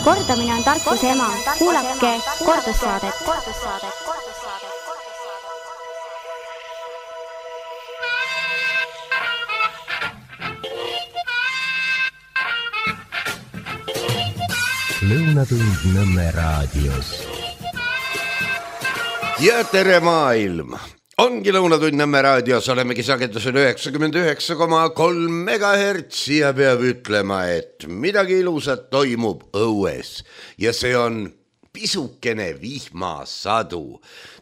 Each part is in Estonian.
Kordamine on tarkuse ema. Kuulake kordussaadet. Lõunatund Nõmme raadios. Ja tere maailm! Ongi Lõunatund Nõmme raadios, olemegi sagedusel 99,3 MHz ja peab ütlema, et midagi ilusat toimub õues ja see on pisukene vihmasadu.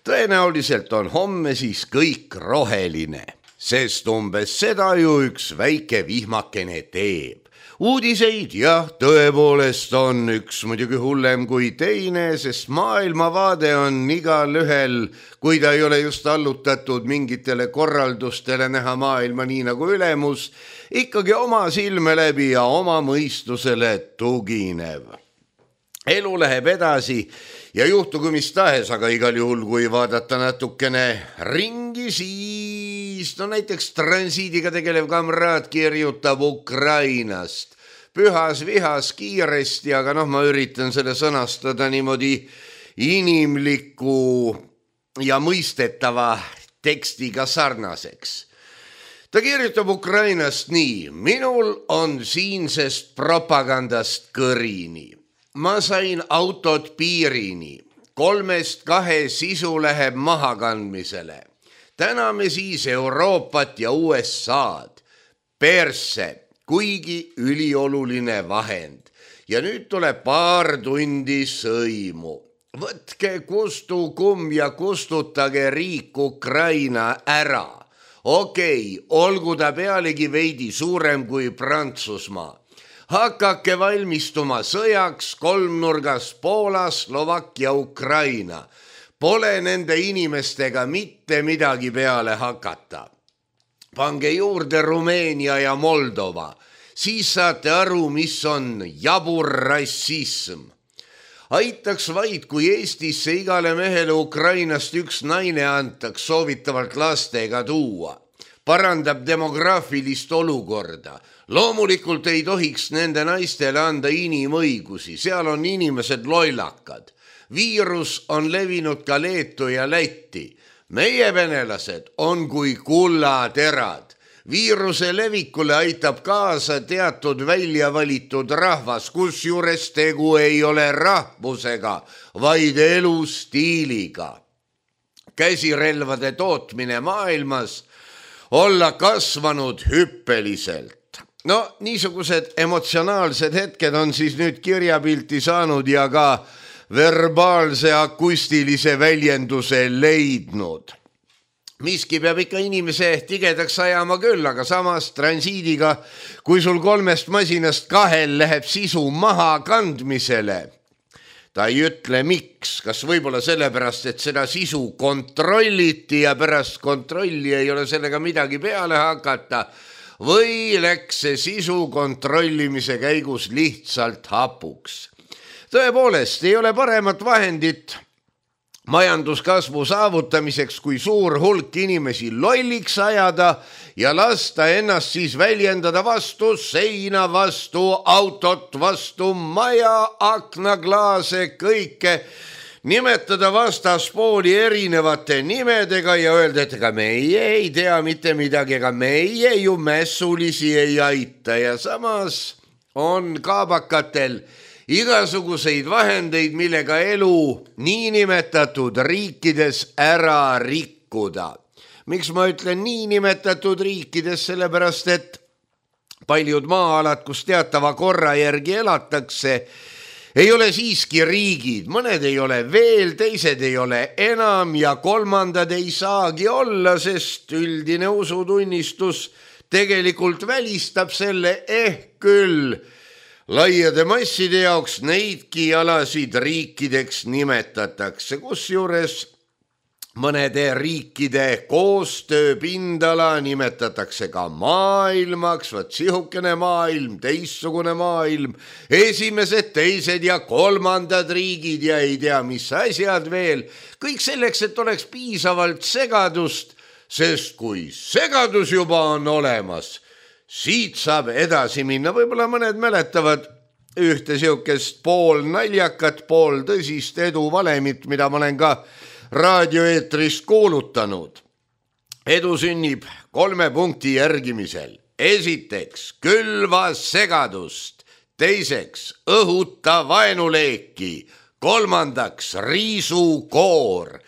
Tõenäoliselt on homme siis kõik roheline, sest umbes seda ju üks väike vihmakene teeb. Uudiseid jah, tõepoolest on üks muidugi hullem kui teine, sest maailmavaade on igal ühel, kui ta ei ole just allutatud mingitele korraldustele näha maailma nii nagu ülemus, ikkagi oma silme läbi ja oma mõistusele tuginev. Elu läheb edasi ja juhtugu mis tahes, aga igal juhul, kui vaadata natukene ringi, siis no näiteks transiidiga tegelev kamraad kirjutab Ukrainast. Pühas vihas kiiresti, aga ma üritan selle sõnastada niimoodi inimliku ja mõistetava tekstiga sarnaseks. Ta kirjutab Ukrainast nii: minul on siinsest propagandast kõrini. Ma sain autot piirini. 3-2 sisu läheb mahakandmisele. Täname siis Euroopat ja USA'd. Persse, kuigi ülioluline vahend. Ja nüüd tuleb paar tundi sõimu. Võtke kustu kumm ja kustutage riik Ukraina ära. Okei, olgu ta pealegi veidi suurem kui Prantsusmaa. Hakake valmistuma sõjaks kolmnurgas Poola, Slovakkia, Ukraina. Pole nende inimestega mitte midagi peale hakata. Pange juurde Rumeenia ja Moldova. Siis saate aru, mis on jabur rassism. Aitaks vaid, kui Eestisse igale mehele Ukrainast üks naine antaks soovitavalt lastega tuua. Parandab demograafilist olukorda. Loomulikult ei tohiks nende naistele anda inimõigusi, seal on inimesed lollakad. Viirus on levinud ka Leetu ja Lätti. Meie venelased on kui kullaterad. Viiruse levikule aitab kaasa teatud väljavalitud rahvas, kusjuures tegu ei ole rahvusega, vaid elustiiliga. Käsirelvade tootmine maailmas olla kasvanud hüppeliselt. No niisugused emotsionaalsed hetked on siis nüüd kirjapilti saanud ja ka verbaalse akustilise väljenduse leidnud. Miski peab ikka inimese tigedaks ajama küll, aga samas transiidiga, kui sul 3 masinast 2 läheb sisu maha kandmisele. Ta ei ütle miks, kas võib-olla sellepärast, et seda sisu kontrolliti ja pärast kontrolli ei ole sellega midagi peale hakata, või läks see sisu kontrollimise käigus lihtsalt hapuks. Tõepoolest, ei ole paremat vahendit majanduskasvu saavutamiseks, kui suur hulk inimesi lolliks ajada ja lasta ennast siis väljendada vastu seina, vastu autot, vastu maja, aknaklaase, kõike, nimetada vastaspooli erinevate nimedega ja öelda, et ega meie ei tea mitte midagi, ega meie ju mässulisi ei aita ja samas on kaabakatel igasuguseid vahendeid, millega elu niinimetatud riikides ära rikkuda. Miks ma ütlen niinimetatud riikides? Sellepärast, et paljud maa-alad, kus teatava korra järgi elatakse, ei ole siiski riigid. Mõned ei ole veel, teised ei ole enam ja kolmandad ei saagi olla, sest üldine usutunnistus tegelikult välistab selle küll. Laiade masside jaoks neidki alasid riikideks nimetatakse, kusjuures mõnede riikide koostööpindala nimetatakse ka maailmaks, vaat sihukene maailm, teissugune maailm, esimesed, teised ja kolmandad riigid ja ei tea mis asjad veel. Kõik selleks, et oleks piisavalt segadust, sest kui segadus juba on olemas, siit saab edasi minna. Võib-olla mõned mäletavad ühte siukest pool naljakat, pool tõsist eduvalemit, mida ma olen ka raadioeetris kuulutanud. Edu sünnib 3 punkti järgimisel. Esiteks, külva segadust. Teiseks, õhuta vaenuleeki. Kolmandaks, riisu koor.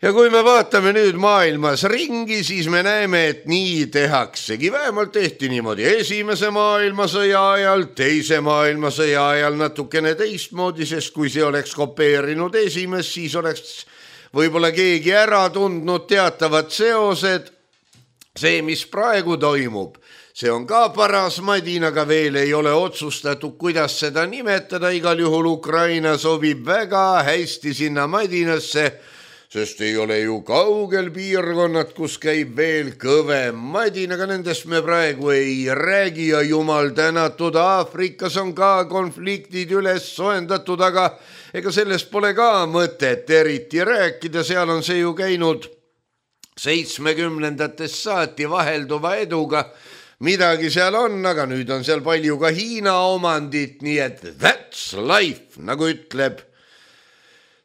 Ja kui me vaatame nüüd maailmas ringi, siis me näeme, et nii tehaksegi. Vähemalt tehti niimoodi Esimese maailmasõja ajal, Teise maailmasõja ajal natukene teistmoodi, sest kui see oleks kopeerinud esimest, siis oleks võib-olla keegi ära tundnud teatavad seosed. See, mis praegu toimub, see on ka paras madin, aga veel ei ole otsustatud, kuidas seda nimetada. Igal juhul Ukraina sobib väga hästi sinna madinasse, sest ei ole ju kaugel piirkonnad, kus käib veel kõvem madin, aga nendest me praegu ei räägi ja jumal tänatud, Aafrikas on ka konfliktid üles soendatud, aga ega sellest pole ka mõtet eriti rääkida, seal on see ju käinud 70-ndatest saati vahelduva eduga, midagi seal on, aga nüüd on seal palju ka Hiina omandit, nii et that's life, nagu ütleb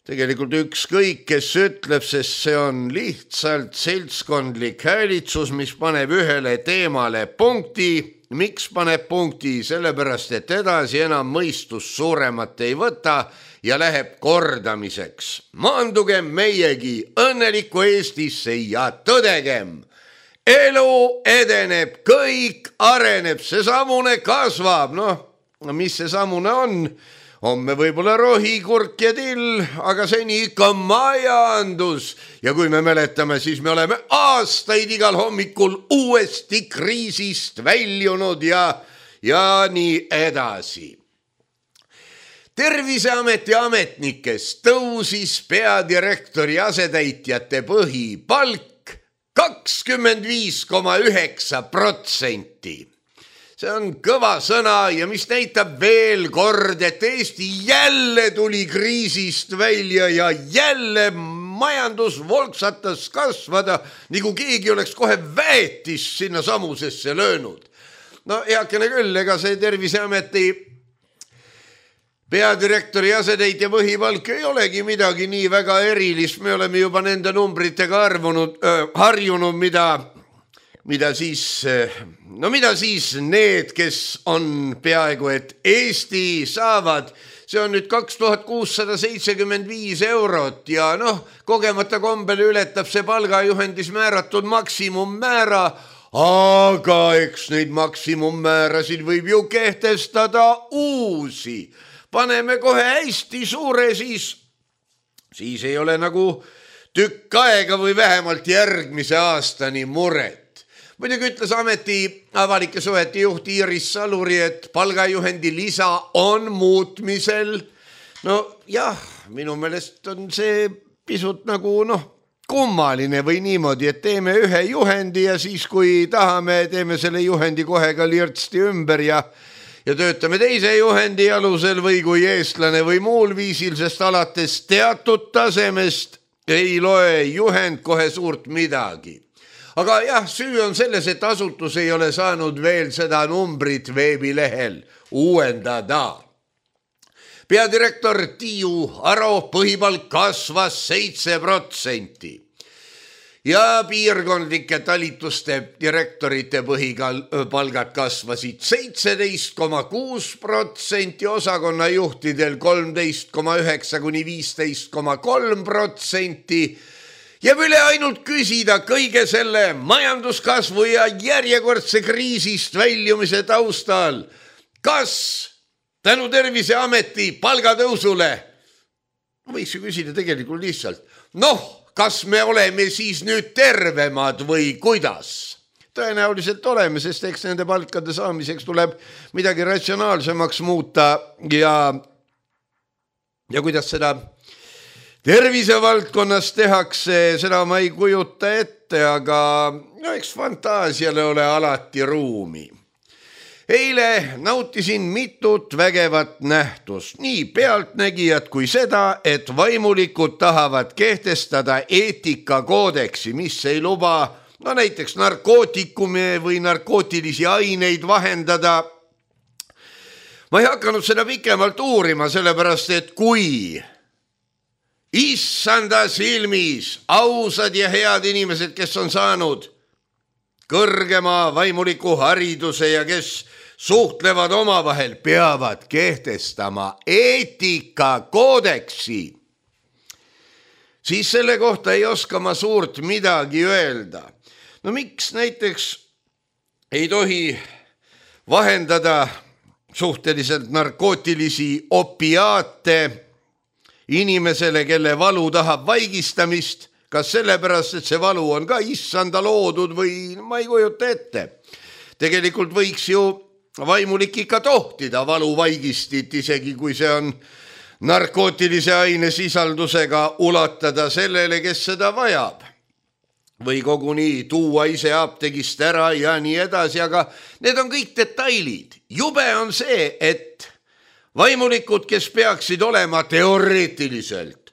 tegelikult ükskõik, kes ütleb, sest see on lihtsalt seltskondlik häälitsus, mis paneb ühele teemale punkti. Miks paneb punkti? Sellepärast, et edasi enam mõistus suuremat ei võta ja läheb kordamiseks. Maandugem meiegi õnnelikku Eestisse ja tõdegem. Elu edeneb, kõik areneb, see samune kasvab. Mis see samune on? Homme võib-olla rohi, kurk ja till, aga seni ikka majandus. Ja kui me mäletame, siis me oleme aastaid igal hommikul uuesti kriisist väljunud ja nii edasi. Terviseameti ametnikest tõusis peadirektori asetäitjate põhipalk 25,9%. See on kõva sõna ja mis näitab veel kord, et Eesti jälle tuli kriisist välja ja jälle majandus volksatas kasvada, nagu keegi oleks kohe väetist sinna samusesse löönud. Heakene küll, ega see Terviseameti peadirektori asetäitja põhipalk ei olegi midagi nii väga erilist. Me oleme juba nende numbritega harjunud, mida siis need, kes on peaaegu et Eesti saavad, see on nüüd 2675 eurot ja kogemata kombel ületab see palgajuhendis määratud maksimummäära, aga eks neid maksimummäärasid võib ju kehtestada uusi. Paneme kohe hästi suure, siis ei ole nagu tükk aega või vähemalt järgmise aastani muret. Muidugi ütles ameti avalike suhete juht Iiris Saluri, et palgajuhendi lisa on muutmisel. Jah, minu meelest on see pisut nagu kummaline või niimoodi, et teeme ühe juhendi ja siis kui tahame, teeme selle juhendi kohe ka lirtsti ümber ja töötame teise juhendi alusel või kui eestlane või muul viisil, sest alates teatud tasemest ei loe juhend kohe suurt midagi. Aga jah, süü on selles, et asutus ei ole saanud veel seda numbrit veebilehel uuendada. Peadirektor Tiiu Aro põhipalk kasvas 7% ja piirkondlike talituste direktorite põhipalgad kasvasid 17,6%, osakonnajuhtidel 13,9 kuni 15,3%. Jääb üle ainult küsida kõige selle majanduskasvu ja järjekordse kriisist väljumise taustal. Kas tänu Terviseameti palgatõusule, võiks ju küsida tegelikult lihtsalt, kas me oleme siis nüüd tervemad või kuidas? Tõenäoliselt oleme, sest eks nende palkade saamiseks tuleb midagi ratsionaalsemaks muuta ja kuidas seda tervisevaldkonnas tehakse, seda ma ei kujuta ette, aga eks fantaasiale ole alati ruumi. Eile nautisin mitut vägevat nähtust, nii pealtnägijad kui seda, et vaimulikud tahavad kehtestada eetikakoodeksi, mis ei luba näiteks narkootikume või narkootilisi aineid vahendada. ma ei hakanud seda pikemalt uurima, sellepärast et kui issanda silmis ausad ja head inimesed, kes on saanud kõrgema vaimuliku hariduse ja kes suhtlevad omavahel, peavad kehtestama eetikakoodeksi, siis selle kohta ei oska ma suurt midagi öelda. No miks näiteks ei tohi vahendada suhteliselt narkootilisi opiaate inimesele, kelle valu tahab vaigistamist, kas sellepärast, et see valu on ka issanda loodud või ma ei kujuta ette. Tegelikult võiks ju vaimulik ikka tohtida valuvaigistit, isegi kui see on narkootilise aine sisaldusega, ulatada sellele, kes seda vajab. Või koguni tuua ise apteegist ära ja nii edasi, aga need on kõik detailid. Jube on see, et vaimulikud, kes peaksid olema teoreetiliselt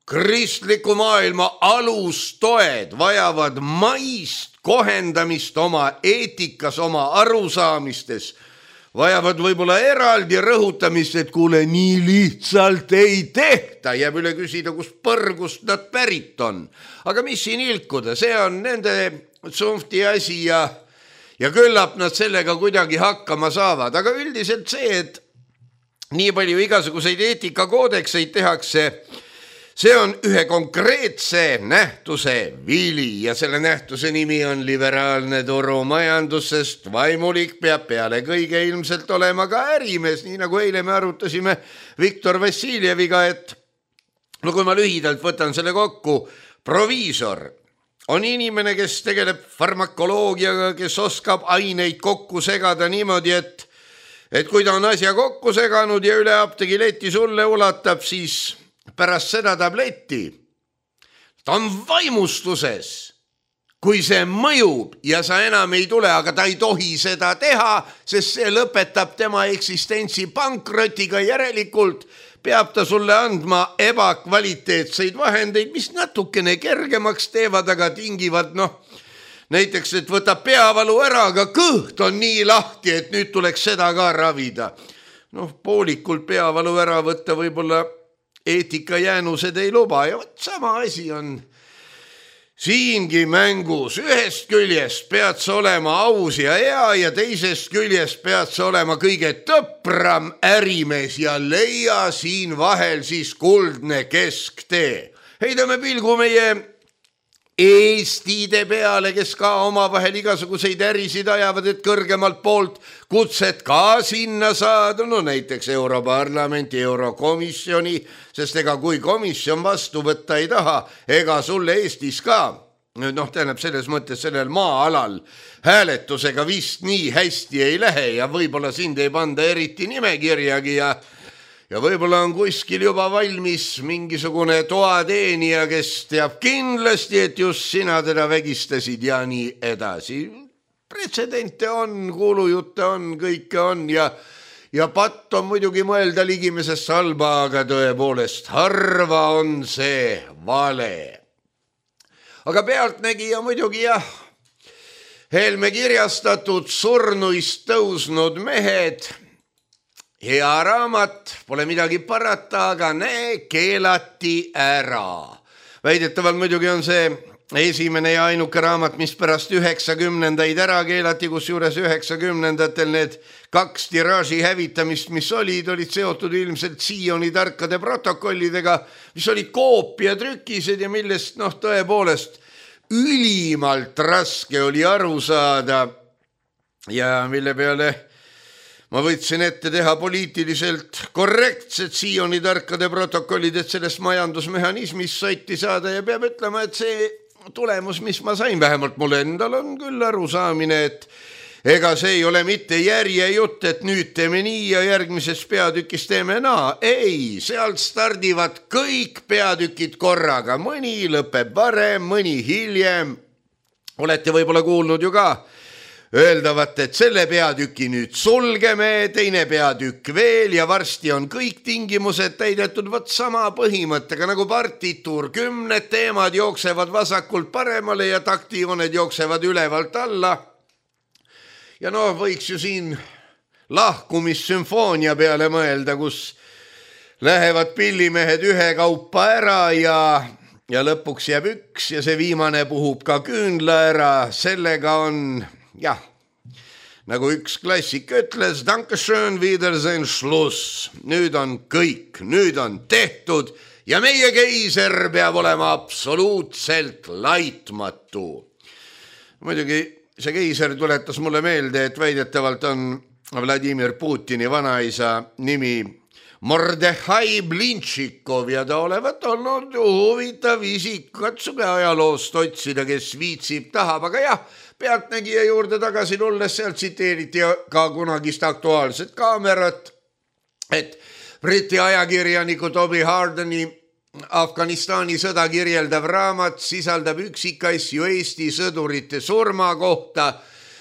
kristliku maailma alustoed, vajavad maist kohendamist oma eetikas, oma arusaamistes, vajavad võib-olla eraldi rõhutamist, et kuule, nii lihtsalt ei tehta, jääb üle küsida, kus põrgust nad pärit on. Aga mis siin ilkuda, see on nende tsunfti asi ja küllap nad sellega kuidagi hakkama saavad. Aga üldiselt see, et nii palju igasuguseid eetikakoodekseid tehakse, see on ühe konkreetse nähtuse vili ja selle nähtuse nimi on liberaalne turumajandus, sest vaimulik peab peale kõige ilmselt olema ka ärimees, nii nagu eile me arutasime Viktor Vassiljeviga, et no kui ma lühidalt võtan selle kokku, proviisor on inimene, kes tegeleb farmakoloogiaga, kes oskab aineid kokku segada niimoodi, et kui ta on asja kokku seganud ja üle apteegileti sulle ulatab, siis pärast seda tabletti ta on vaimustuses, kui see mõjub ja sa enam ei tule, aga ta ei tohi seda teha, sest see lõpetab tema eksistentsi pankrotiga, järelikult peab ta sulle andma ebakvaliteetseid vahendeid, mis natukene kergemaks teevad, aga tingivad, näiteks, et võtab peavalu ära, aga kõht on nii lahti, et nüüd tuleks seda ka ravida. Poolikult peavalu ära võtta võib-olla eetikajäänused ei luba ja sama asi on siingi mängus. Ühest küljest pead sa olema aus ja hea ja teisest küljest pead sa olema kõige tõpram ärimees ja leia siin vahel siis kuldne kesktee. Heidame pilgu meie eestide peale, kes ka omavahel igasuguseid ärisid ajavad, et kõrgemalt poolt kutset ka sinna saada, näiteks Europarlamenti, Eurokomisjoni, sest ega kui komisjon vastu võtta ei taha, ega sulle Eestis ka, tähendab selles mõttes sellel maa-alal hääletusega vist nii hästi ei lähe ja võib-olla sind ei panda eriti nimekirjagi ja võib-olla on kuskil juba valmis mingisugune toateenija, kes teab kindlasti, et just sina teda vägistasid ja nii edasi. Pretsedente on, kuulujutte on, kõike on ja patt on muidugi mõelda ligimesest halba, aga tõepoolest harva on see vale. Aga pealtnägija muidugi Helme kirjastatud Surnuist tõusnud mehed, hea raamat, pole midagi parata, aga keelati ära. Väidetavalt muidugi on see esimene ja ainuke raamat, mis pärast 90-ndaid ära keelati, kus juures 90-ndatel need 2 tiraaži hävitamist, mis olid seotud ilmselt Sioni tarkade protokollidega, mis olid koopiatrükised ja millest tõepoolest ülimalt raske oli aru saada ja mille peale ma võtsin ette teha poliitiliselt korrektsed Sioni tarkade protokollid, et sellest majandusmehhanismist sotti saada ja peab ütlema, et see tulemus, mis ma sain, vähemalt mul endal on küll arusaamine, et ega see ei ole mitte järjejutt, et nüüd teeme nii ja järgmises peatükis teeme naa. Ei, sealt stardivad kõik peatükid korraga, mõni lõpeb varem, mõni hiljem. Olete võib-olla kuulnud ju ka öeldavat, et selle peatüki nüüd sulgeme, teine peatükk veel ja varsti on kõik tingimused täidetud vot sama põhimõttega nagu partituur. 10 teemad jooksevad vasakult paremale ja taktijooned jooksevad ülevalt alla. Ja võiks ju siin lahkumissümfoonia peale mõelda, kus lähevad pillimehed ühekaupa ära ja lõpuks jääb üks ja see viimane puhub ka küünla ära. Sellega on, jah, nagu üks klassik ütles, Dankeschön, Wiedersehen, Schluss. Nüüd on kõik, nüüd on tehtud ja meie keiser peab olema absoluutselt laitmatu. Muidugi see keiser tuletas mulle meelde, et väidetavalt on Vladimir Putini vanaisa nimi Mordechai Blintšikov ja ta olevat olnud huvitav isik. Katsuge ajaloost otsida, kes viitsib, tahab, aga jah, pealtnägija juurde tagasi tulles sealt tsiteeriti ka kunagist Aktuaalset Kaamerat, et Briti ajakirjaniku Toby Hardeni Afganistani sõda kirjeldav raamat sisaldab üksikasju Eesti sõdurite surma kohta,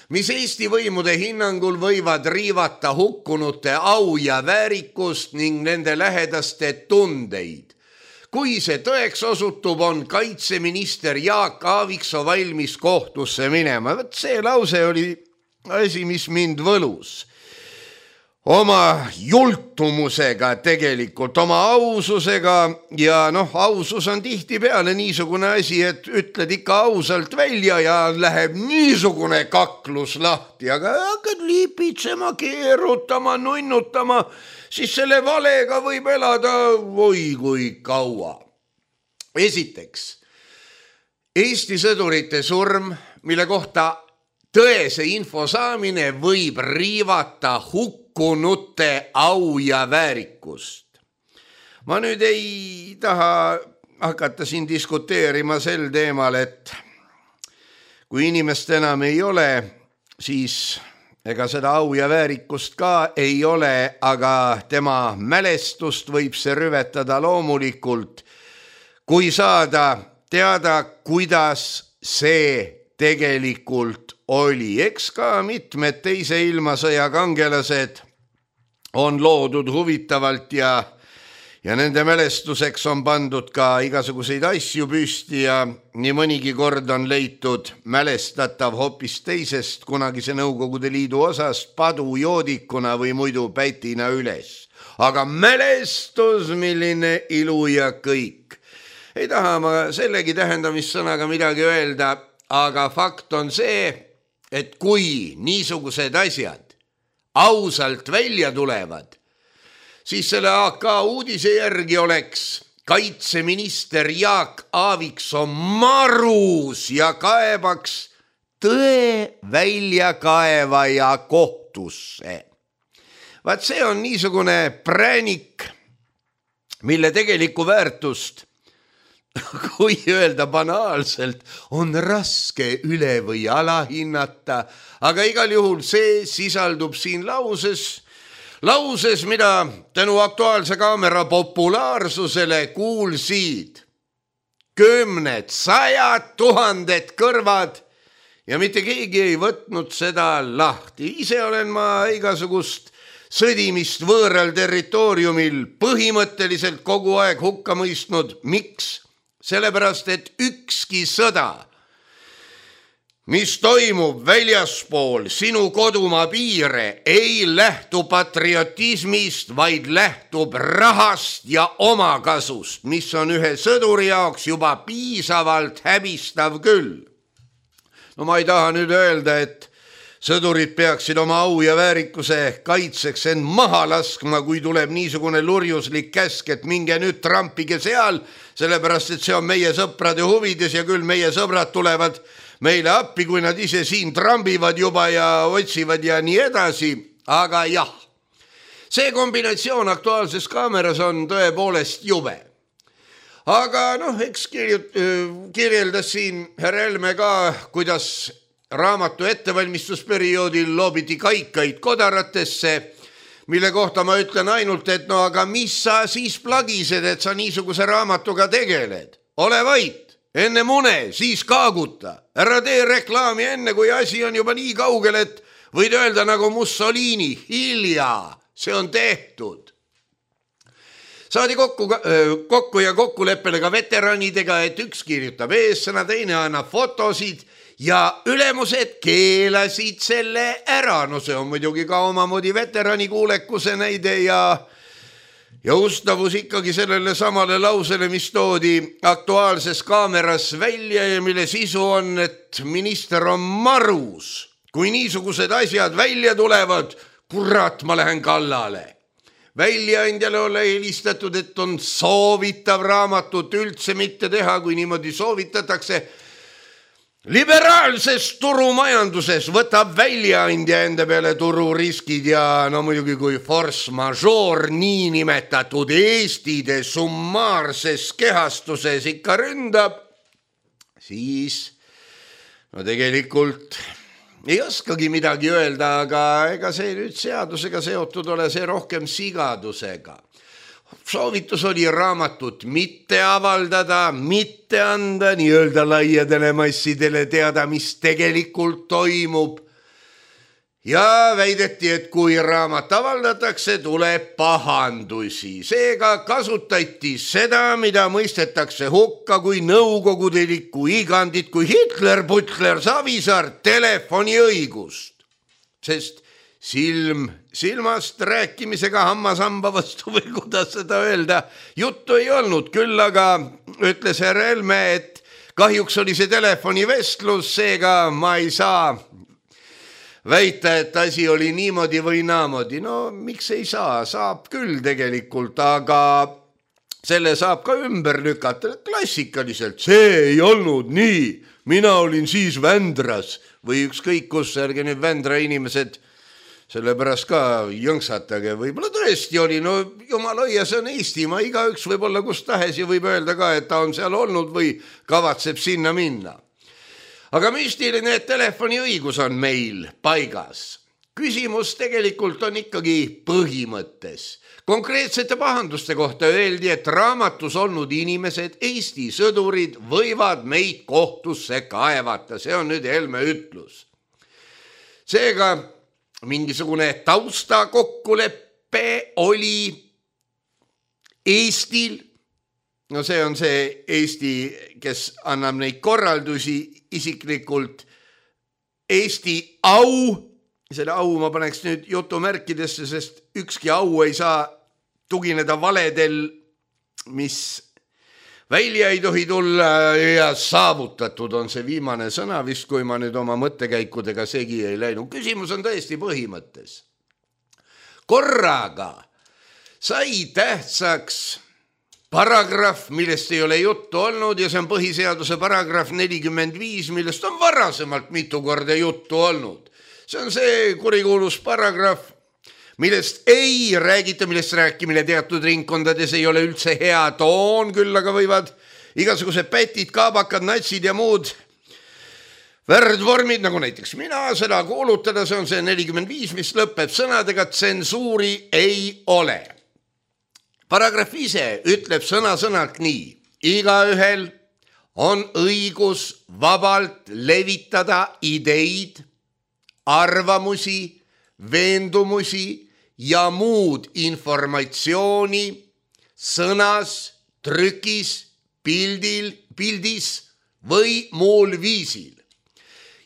mis Eesti võimude hinnangul võivad riivata hukkunute au ja väärikust ning nende lähedaste tundeid. Kui see tõeks osutub, on kaitseminister Jaak Aaviksoo valmis kohtusse minema. See lause oli asi, mis mind võlus. Oma jultumusega tegelikult, oma aususega ja ausus on tihtipeale niisugune asi, et ütled ikka ausalt välja ja läheb niisugune kaklus lahti, aga hakkad lipitsema, keerutama, nunnutama, siis selle valega võib elada oi kui kaua. Esiteks, Eesti sõdurite surm, mille kohta tõese info saamine võib riivata hukkunute au ja väärikust. Ma nüüd ei taha hakata siin diskuteerima sel teemal, et kui inimest enam ei ole, siis ega seda au ja väärikust ka ei ole, aga tema mälestust võib see rüvetada loomulikult, kui saada teada, kuidas see tegelikult oli. Eks ka mitmed teise ilmasõja kangelased on loodud huvitavalt ja nende mälestuseks on pandud ka igasuguseid asju püsti ja nii mõnigi kord on leitud mälestatav hoopis teisest kunagise Nõukogude Liidu osast padujoodikuna või muidu pätina üles. Aga mälestus, milline ilu ja kõik. Ei taha ma sellegi tähendamissõnaga midagi öelda, aga fakt on see, et kui niisugused asjad ausalt välja tulevad, siis selle AK uudise järgi oleks kaitseminister Jaak Aaviksoo marus ja kaebaks tõe väljakaevaja kohtusse. Vaat see on niisugune präänik, mille tegelikku väärtust, kui öelda banaalselt, on raske üle või alahinnata, aga igal juhul see sisaldub siin lauses, mida tänu Aktuaalse Kaamera populaarsusele kuulsid 10, 100 000 kõrvad ja mitte keegi ei võtnud seda lahti. Ise olen ma igasugust sõdimist võõral territooriumil põhimõtteliselt kogu aeg hukka mõistnud. Miks? Sellepärast, et ükski sõda, mis toimub väljaspool sinu kodumaa piire, ei lähtu patriotismist, vaid lähtub rahast ja omakasust, mis on ühe sõduri jaoks juba piisavalt häbistav küll. No ma ei taha nüüd öelda, et sõdurid peaksid oma au ja väärikuse kaitseks end maha laskma, kui tuleb niisugune lurjuslik käsk, et minge nüüd trampige seal, sellepärast, et see on meie sõprade huvides ja küll meie sõbrad tulevad meile appi, kui nad ise siin trambivad juba ja otsivad ja nii edasi. Aga jah, see kombinatsioon Aktuaalses Kaameras on tõepoolest jube. Aga eks kirjeldas siin härra Helme ka, kuidas raamatu ettevalmistusperioodil loobiti kaikaid kodaratesse, mille kohta ma ütlen ainult, et aga mis sa siis plagised, et sa niisuguse raamatuga tegeled? Ole vait, enne mune, siis kaaguta. Ära tee reklaami enne, kui asi on juba nii kaugel, et võid öelda nagu Mussolini, hilja, see on tehtud. Saadi kokku ja kokkuleppele ka veteranidega, et üks kirjutab eessõna, teine annab fotosid ja ülemused keelasid selle ära. No see on muidugi ka omamoodi veterani kuulekuse näide ja ustavus ikkagi sellele samale lausele, mis toodi Aktuaalses Kaameras välja ja mille sisu on, et minister on marus. Kui niisugused asjad välja tulevad, kurat, ma lähen kallale. Väljaandjale ole helistatud, et on soovitav raamatut üldse mitte teha, kui niimoodi soovitatakse. Liberaalses turumajanduses võtab väljaandja enda peale tururiskid ja no muidugi kui force majeure niinimetatud Eestide summaarses kehastuses ikka ründab, siis no tegelikult ei oskagi midagi öelda, aga ega see nüüd seadusega seotud ole, see rohkem sigadusega. Soovitus oli raamatut mitte avaldada, mitte anda nii-öelda laiadele massidele teada, mis tegelikult toimub. Ja väideti, et kui raamat avaldatakse, tuleb pahandusi. Seega kasutati seda, mida mõistetakse hukka kui nõukogudelikku igandit, kui Hitler, Butler, Savisaar telefoniõigust. Sest silmast rääkimisega hammasamba vastu või kuidas seda öelda, juttu ei olnud, küll aga ütles härra Helme, et kahjuks oli see telefonivestlus, seega ma ei saa väita, et asi oli niimoodi või naamoodi. No miks ei saa? Saab küll tegelikult, aga selle saab ka ümber lükata klassikaliselt. See ei olnud nii, mina olin siis Vändras või ükskõik kus, ärge nüüd Vändra inimesed sellepärast ka jõngsatage, võib-olla tõesti oli, no jumala õia, see on Eestimaa, igaüks võib olla kus tahes ja võib öelda ka, et ta on seal olnud või kavatseb sinna minna. Aga müstiline, et telefoniõigus on meil paigas. Küsimus tegelikult on ikkagi põhimõttes. Konkreetsete pahanduste kohta öeldi, et raamatus olnud inimesed, Eesti sõdurid, võivad meid kohtusse kaevata. See on nüüd Helme ütlus. Seega mingisugune tausta kokkuleppe oli Eestil. No see on see Eesti, kes annab neid korraldusi isiklikult. Eesti au, selle au ma paneks nüüd jutumärkidesse, sest ükski au ei saa tugineda valedel, mis välja ei tohi tulla ja saavutatud on see viimane sõna vist, kui ma nüüd oma mõttekäikudega segi ei läinud. Küsimus on tõesti põhimõttes. Korraga sai tähtsaks paragrahv, millest ei ole juttu olnud ja see on põhiseaduse paragrahv 45, millest on varasemalt mitu korda juttu olnud. See on see kurikuulus paragrahv, millest ei räägita, millest rääkimine teatud ringkondades ei ole üldse hea toon, küll aga võivad igasugused pätid, kaabakad, natsid ja muud värdvormid, nagu näiteks mina seda kuulutada, see on see 45, mis lõpeb sõnadega tsensuuri ei ole. Paragrahv ise ütleb sõna-sõnalt nii. Igaühel on õigus vabalt levitada ideid, arvamusi, veendumusi ja muud informatsiooni sõnas, trükis, pildis või muul viisil.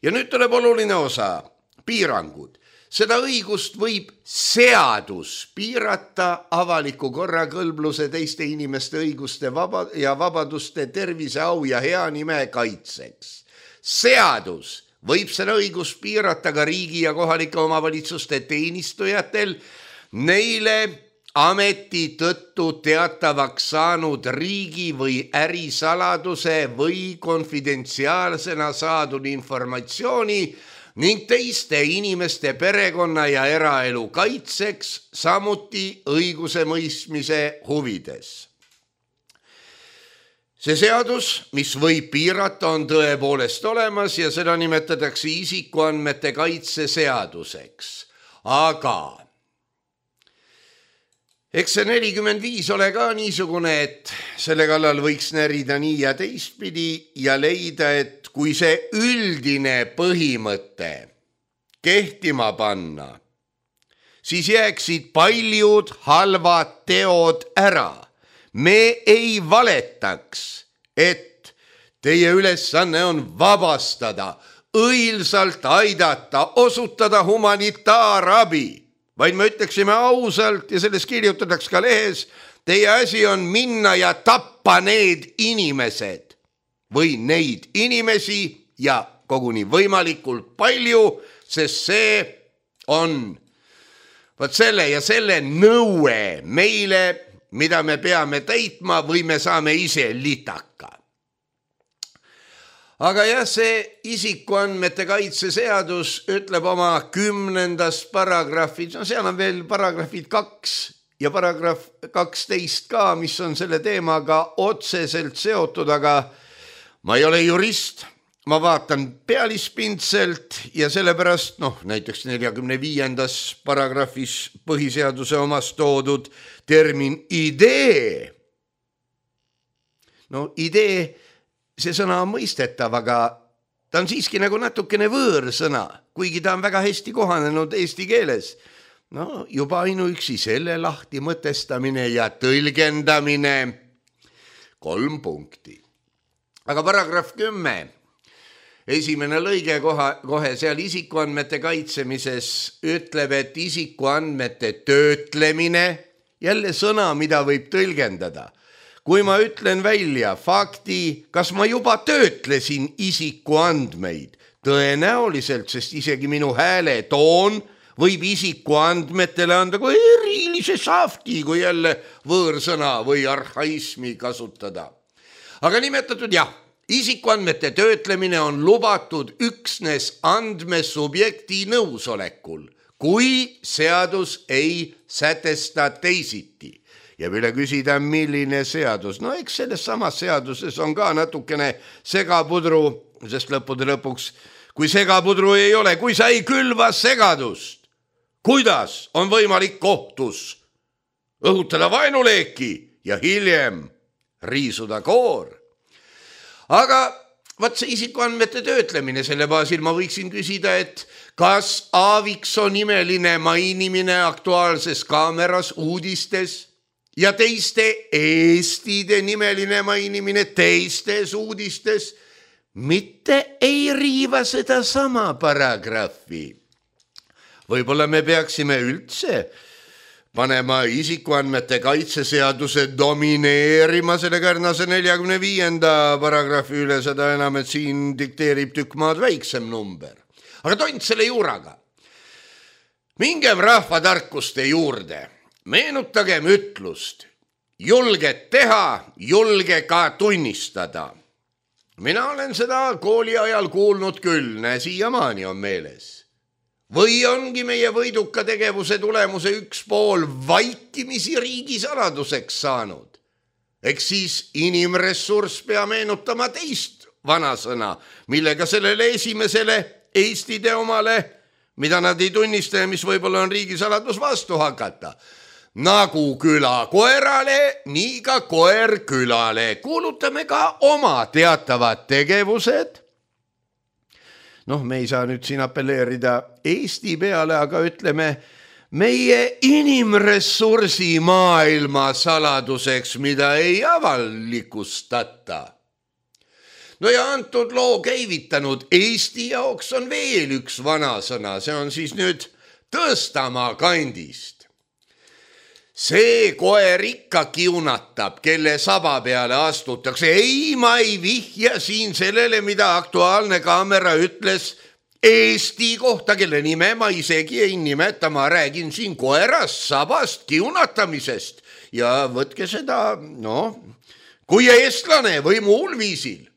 Ja nüüd tuleb oluline osa, piirangud. Seda õigust võib seadus piirata avaliku korra, kõlbluse, teiste inimeste õiguste ja vabaduste, tervise, au ja hea nime kaitseks. Seadus võib seda õigust piirata ka riigi ja kohalike omavalitsuste teenistujatel, neile ameti tõttu teatavaks saanud riigi või ärisaladuse või konfidentsiaalsena saadud informatsiooni ning teiste inimeste perekonna ja eraelu kaitseks, samuti õiguse mõistmise huvides. See seadus, mis võib piirata, on tõepoolest olemas ja seda nimetatakse isikuandmete kaitse seaduseks. Aga eks see 45 ole ka niisugune, et selle kallal võiks närida nii ja teistpidi ja leida, et kui see üldine põhimõte kehtima panna, siis jääksid paljud halvad teod ära. Me ei valetaks, et teie ülesanne on vabastada õilsalt aidata, osutada humanitaarabi, vaid me ütleksime ausalt ja sellest kirjutataks ka lehes, teie asi on minna ja tappa need inimesed või neid inimesi ja koguni võimalikult palju, sest see on võt selle ja selle nõue meile, mida me peame täitma või me saame ise litaka. Aga jah, see isikuandmete kaitse seadus ütleb oma 10. paragrahvid, no seal on veel paragrahvid 2 ja paragrahv 12 ka, mis on selle teemaga otseselt seotud, aga ma ei ole jurist, ma vaatan pealispindselt ja sellepärast, näiteks 45. paragrahvis põhiseaduse omas toodud termin idee. Idee, see sõna on mõistetav, aga ta on siiski nagu natukene võõrsõna, kuigi ta on väga hästi kohanenud eesti keeles. Juba ainuüksi selle lahti mõtestamine ja tõlgendamine 3 punkti. Aga paragrahv 10, esimene lõige kohe seal isikuandmete kaitsemises ütleb, et isikuandmete töötlemine, jälle sõna, mida võib tõlgendada. Kui ma ütlen välja fakti, kas ma juba töötlesin isikuandmeid, tõenäoliselt, sest isegi minu hääle toon võib isikuandmetele anda kui erilise safti, kui jälle võõrsõna või arhaismi kasutada. Aga nimetatud jah, isikuandmete töötlemine on lubatud üksnes andmesubjekti nõusolekul, kui seadus ei sätesta teisiti. Ja üle küsida, milline seadus. Eks selles samas seaduses on ka natukene segapudru, sest lõppude lõpuks, kui segapudru ei ole, kui sa ei külva segadust, kuidas on võimalik kohtus õhutada vaenuleeki ja hiljem riisuda koor? Aga see isikuandmete töötlemine, selle baasil ma võiksin küsida, et kas Aaviksoo nimeline mainimine Aktuaalses Kaameras uudistes ja teiste eestide nimeline mainimine teistes uudistes mitte ei riiva seda sama paragrahvi. Võib-olla me peaksime üldse panema isikuandmete kaitseseaduse domineerima selle kärnase 45. paragrahvi üle, seda enam, et siin dikteerib tükk maad väiksem number. Aga tont selle juuraga. Mingem rahvatarkuste juurde. Meenutagem ütlust. Julged teha, julge ka tunnistada. Mina olen seda kooli ajal kuulnud küll, siiamaani on meeles. Või ongi meie võiduka tegevuse tulemuse üks pool vaikimisi riigisaladuseks saanud. Eks siis inimressurss pea meenutama teist vanasõna, millega sellele esimesele Eesti teomale, mida nad ei tunnista ja mis võib-olla on riigisaladus vastu hakata. Nagu küla koerale, nii ka koer külale. Kuulutame ka oma teatavad tegevused. Me ei saa nüüd siin apelleerida Eesti peale, aga ütleme meie inimressursi maailma saladuseks, mida ei avalikustata. Ja antud loo käivitanud Eesti jaoks on veel üks vanasõna, see on siis nüüd Tõstamaa kandist. See koer ikka kiunatab, kelle saba peale astutakse. Ei, ma ei vihja siin sellele, mida Aktuaalne Kaamera ütles Eesti kohta, kelle nime ma isegi ei nimeta. Ma räägin siin koerast, sabast, kiunatamisest. Ja võtke seda, kui eestlane või muul viisil.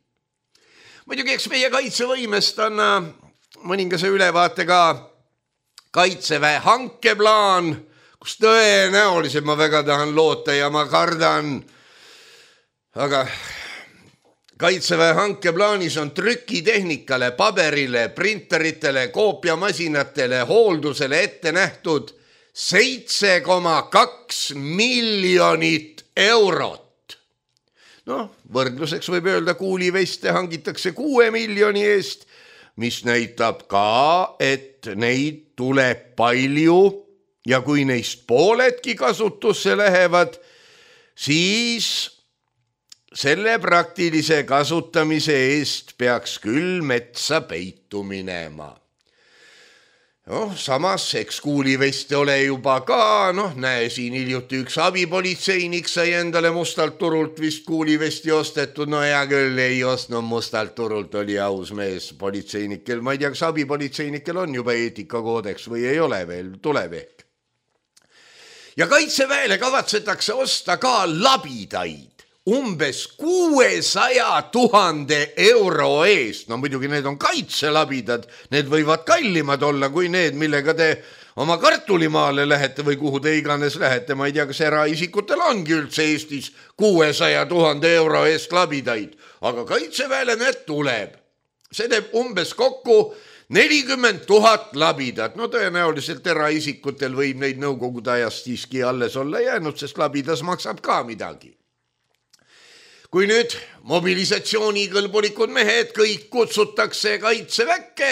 Muidugi, eks meie kaitsevõimest on mõningase ülevaate ka Kaitseväe hankeplaan, kus tõenäoliselt ma väga tahan loota ja ma kardan, aga Kaitseväe hankeplaanis on trükitehnikale, paberile, printeritele, koopiamasinatele, hooldusele ette nähtud 7,2 miljonit eurot. Võrdluseks võib öelda, kuuliveste hangitakse 6 miljoni eest, mis näitab ka, et neid tuleb palju ja kui neist pooledki kasutusse lähevad, siis selle praktilise kasutamise eest peaks küll metsa peitu minema. Samas, eks kuuliveste ole juba ka, näe siin hiljuti üks abipolitseinik sai endale mustalt turult vist kuulivesti ostetud, hea küll ei ostnud mustalt turult, oli aus mees politseinikel, ma ei tea, kas abipolitseinikel on juba eetikakoodeks või ei ole veel, tuleb ehk. Ja Kaitseväele kavatsetakse osta ka labidaid. Umbes 600 000 euro eest. Muidugi need on kaitselabidad, need võivad kallimad olla kui need, millega te oma kartulimaale lähete või kuhu te iganes lähete. Ma ei tea, kas eraisikutel ongi üldse Eestis 600 000 euro eest labidaid, aga Kaitseväele need tuleb. See teeb umbes kokku 40 000 labidat. Tõenäoliselt eraisikutel võib neid nõukogude ajast siiski alles olla jäänud, sest labidas maksab ka midagi. Kui nüüd mobilisatsioonikõlbulikud mehed kõik kutsutakse Kaitseväkke,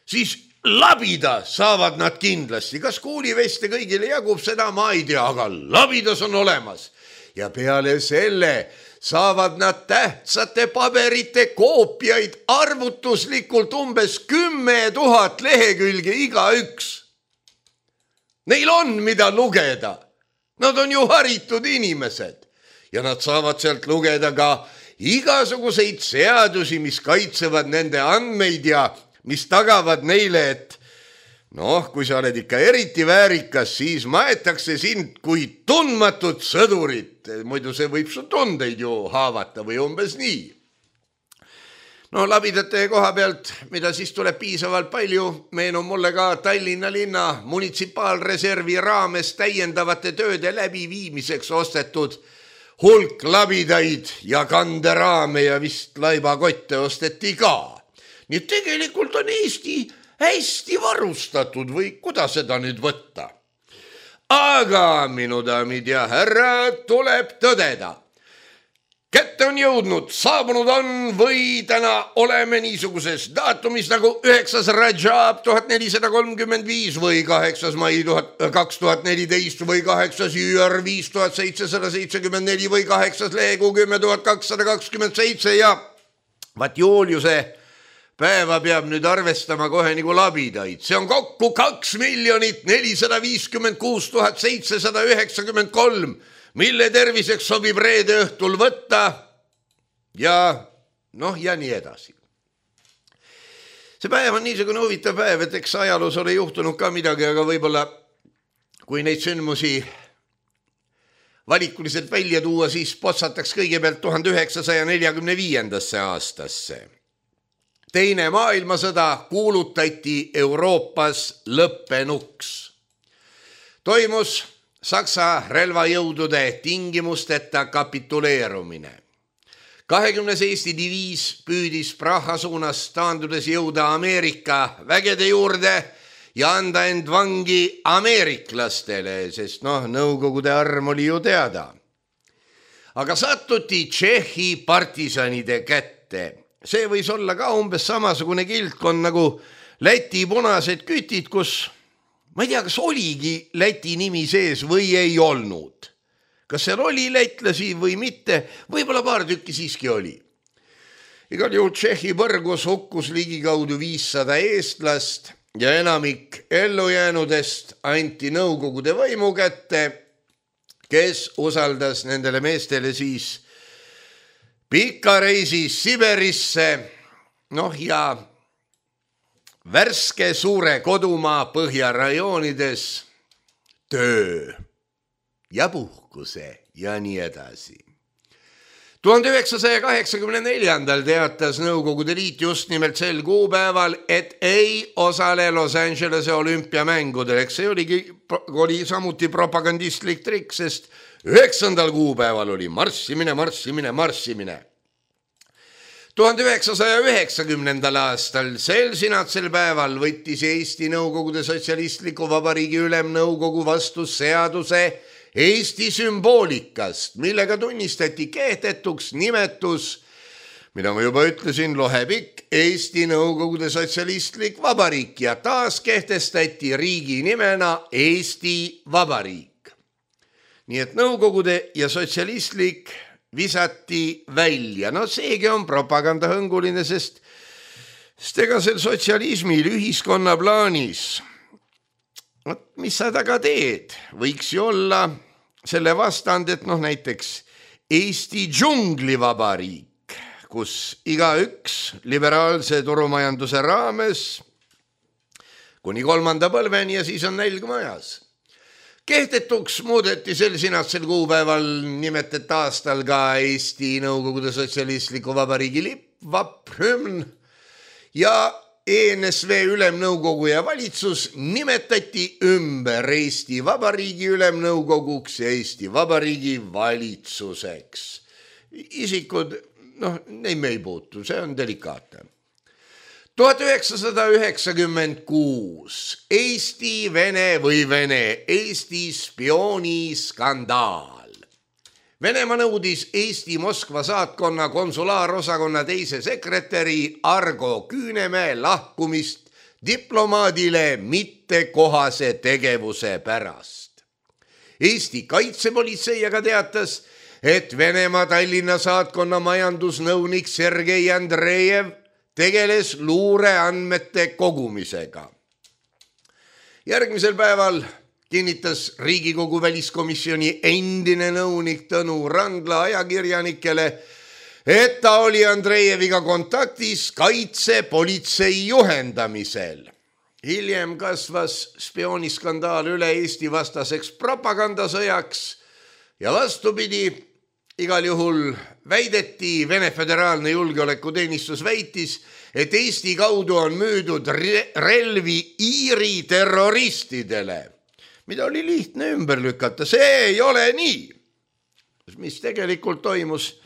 siis labida saavad nad kindlasti. Kas kuuliveste kõigile jagub seda, ma ei tea, aga labidas on olemas. Ja peale selle saavad nad tähtsate paberite koopiaid arvutuslikult umbes 10 000 lehekülge igaüks. Neil on mida lugeda. Nad on ju haritud inimesed. Ja nad saavad sealt lugeda ka igasuguseid seadusi, mis kaitsevad nende andmeid ja mis tagavad neile, et kui sa oled ikka eriti väärikas, siis maetakse sind kui tundmatut sõdurit. Muidu see võib su tundeid ju haavata või umbes nii. Labidate koha pealt, mida siis tuleb piisavalt palju, meenub mulle ka Tallinna linna munitsipaalreservi raames täiendavate tööde läbiviimiseks ostetud hulk labidaid ja kanderaame ja vist laibakotte osteti ka. Nii tegelikult on Eesti hästi varustatud või kuidas seda nüüd võtta? Aga minu daamid ja härrad, tuleb tõdeda. Kätte on jõudnud, saabunud on või täna oleme niisuguses daatumis nagu 9. Rajab 1435 või 8. mai 2014 või 8. jüür 5774 või 8. lehekuu 10227 ja vaat Juliuse päeva peab nüüd arvestama kohe nagu labidaid. See on kokku 2 456 793, mille terviseks sobib reede õhtul võtta ja nii edasi. See päev on niisugune huvitav päev, et eks ajaloos ole juhtunud ka midagi, aga võib-olla kui neid sündmusi valikuliselt välja tuua, siis potsataks kõigepealt 1945. aastasse. Teine maailmasõda kuulutati Euroopas lõppenuks. Toimus Saksa relvajõudude tingimusteta kapituleerumine. 20. Eesti diviis püüdis Praha suunas taandudes jõuda Ameerika vägede juurde ja anda end vangi ameeriklastele, sest Nõukogude arm oli ju teada. Aga sattuti Tšehhi partisanide kätte. See võis olla ka umbes samasugune kildkond nagu Läti punased kütid, kus ma ei tea, kas oligi Läti nimi sees või ei olnud. Kas seal oli lätlasi või mitte, võib-olla paar tükki siiski oli. Igal juhul Tšehhi põrgus hukkus ligikaudu 500 eestlast ja enamik ellujäänudest anti Nõukogude võimu kätte, kes usaldas nendele meestele siis pika reisi Siberisse, ja värske suure kodumaa põhjarajoonides töö ja puhkuse ja nii edasi. 1984. teatas Nõukogude Liit just nimelt sel kuupäeval, et ei osale Los Angelese olümpiamängudel. Eks see oli samuti propagandistlik trikk, sest 9. kuupäeval oli marssimine. 1990. aastal sel sinatsel päeval võttis Eesti Nõukogude Sotsialistliku Vabariigi Ülemnõukogu vastu seaduse Eesti sümboolikast, millega tunnistati kehtetuks nimetus, mida ma juba ütlesin, lohepikk Eesti Nõukogude Sotsialistlik Vabariik ja taas kehtestati riigi nimena Eesti Vabariik. Nii et Nõukogude ja sotsialistlik visati välja. No seegi on propagandahõnguline, sest ega sel sotsialismil ühiskonna plaanis, mis sa taga teed, võiks ju olla selle vastand, et näiteks Eesti džunglivabariik, kus igaüks liberaalse turumajanduse raames kuni 3. põlveni ja siis on nälg majas. Kehtetuks muudeti sel sinatsel kuupäeval nimetet aastal ka Eesti Nõukogude Sotsialistliku Vabariigi lipp, vaprhümn ja ENSV ülemnõukogu ja valitsus nimetati ümber Eesti Vabariigi ülemnõukoguks ja Eesti Vabariigi valitsuseks. Isikud, neid me ei puutu, see on delikaatne. 1996 Eesti spiooniskandaal. Venemaa nõudis Eesti Moskva saatkonna konsulaarosakonna teise sekretäri Argo Küünemäe lahkumist diplomaadile mittekohase tegevuse pärast. Eesti kaitsepolitsei aga teatas, et Venemaa Tallinna saatkonna majandusnõunik Sergei Andrejev tegeles luureandmete kogumisega. Järgmisel päeval kinnitas Riigikogu väliskomisjoni endine nõunik Tõnu Randla ajakirjanikele, et ta oli Andrejeviga kontaktis kaitsepolitsei juhendamisel. Hiljem kasvas spiooniskandaal üle Eesti vastaseks propagandasõjaks ja vastupidi, igal juhul väideti, Vene Föderaalne julgeolekuteenistus väitis, et Eesti kaudu on müüdud relvi Iiri terroristidele, mida oli lihtne ümber lükata. See ei ole nii. Mis tegelikult toimus,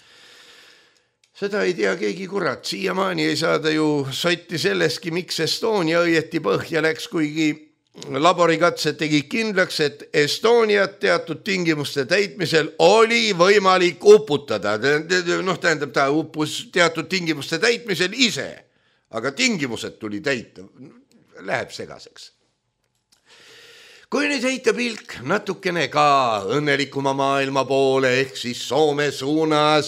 seda ei tea keegi kurat. Siiamaani ei saada ju sotti selleski, miks Estonia õieti põhja läks, kuigi laborikatsed tegi kindlaks, et Estoniat teatud tingimuste täitmisel oli võimalik uputada. Tähendab, ta uppus teatud tingimuste täitmisel ise, aga tingimused tuli täita. Läheb segaseks. Kui nüüd heita pilk natukene ka õnnelikuma maailma poole ehk siis Soome suunas,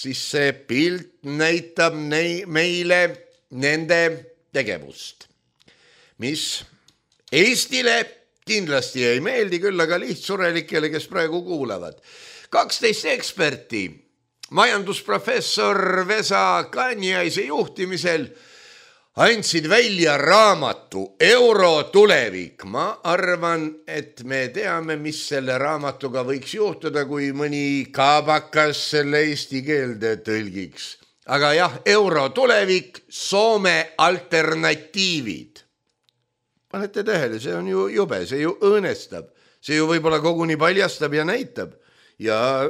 siis see pilt näitab meile nende tegevust, mis Eestile kindlasti ei meeldi, küll aga lihtsurelikele, kes praegu kuulavad. 12 eksperti majandusprofessor Vesa Kanjaise juhtimisel andsid välja raamatu Euro tulevik. Ma arvan, et me teame, mis selle raamatuga võiks juhtuda, kui mõni kaabakas selle eesti keelde tõlgiks. Aga jah, Euro tulevik, Soome alternatiivid. Panete tähele, see on ju jube, see ju õõnestab. See ju võib-olla koguni paljastab ja näitab. Ja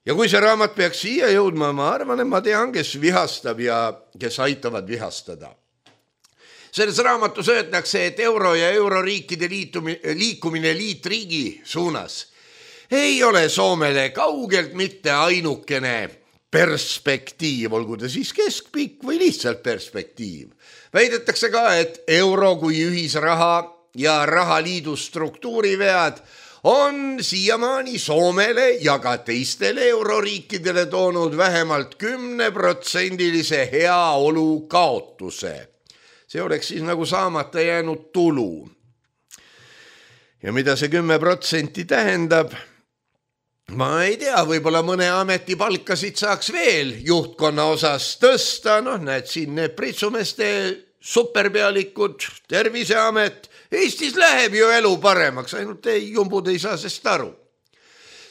kui see raamat peaks siia jõudma, ma arvan, et ma tean, kes vihastab ja kes aitavad vihastada. Selles raamatus öeldakse, et euro ja euroriikide liikumine liitriigi suunas ei ole Soomele kaugelt mitte ainukene perspektiiv, olgu ta siis keskpikk või lihtsalt perspektiiv. Väidetakse ka, et euro kui ühisraha ja rahaliidu struktuurivead on siiamaani Soomele ja ka teistele euroriikidele toonud vähemalt 10% heaolu kaotuse. See oleks siis nagu saamata jäänud tulu. Ja mida see 10% tähendab? Ma ei tea, võib-olla mõne ameti palkasid saaks veel juhtkonna osas tõsta, näed siin need pritsumeste superpealikud, Terviseamet, Eestis läheb ju elu paremaks, ainult jumbud ei saa sest aru.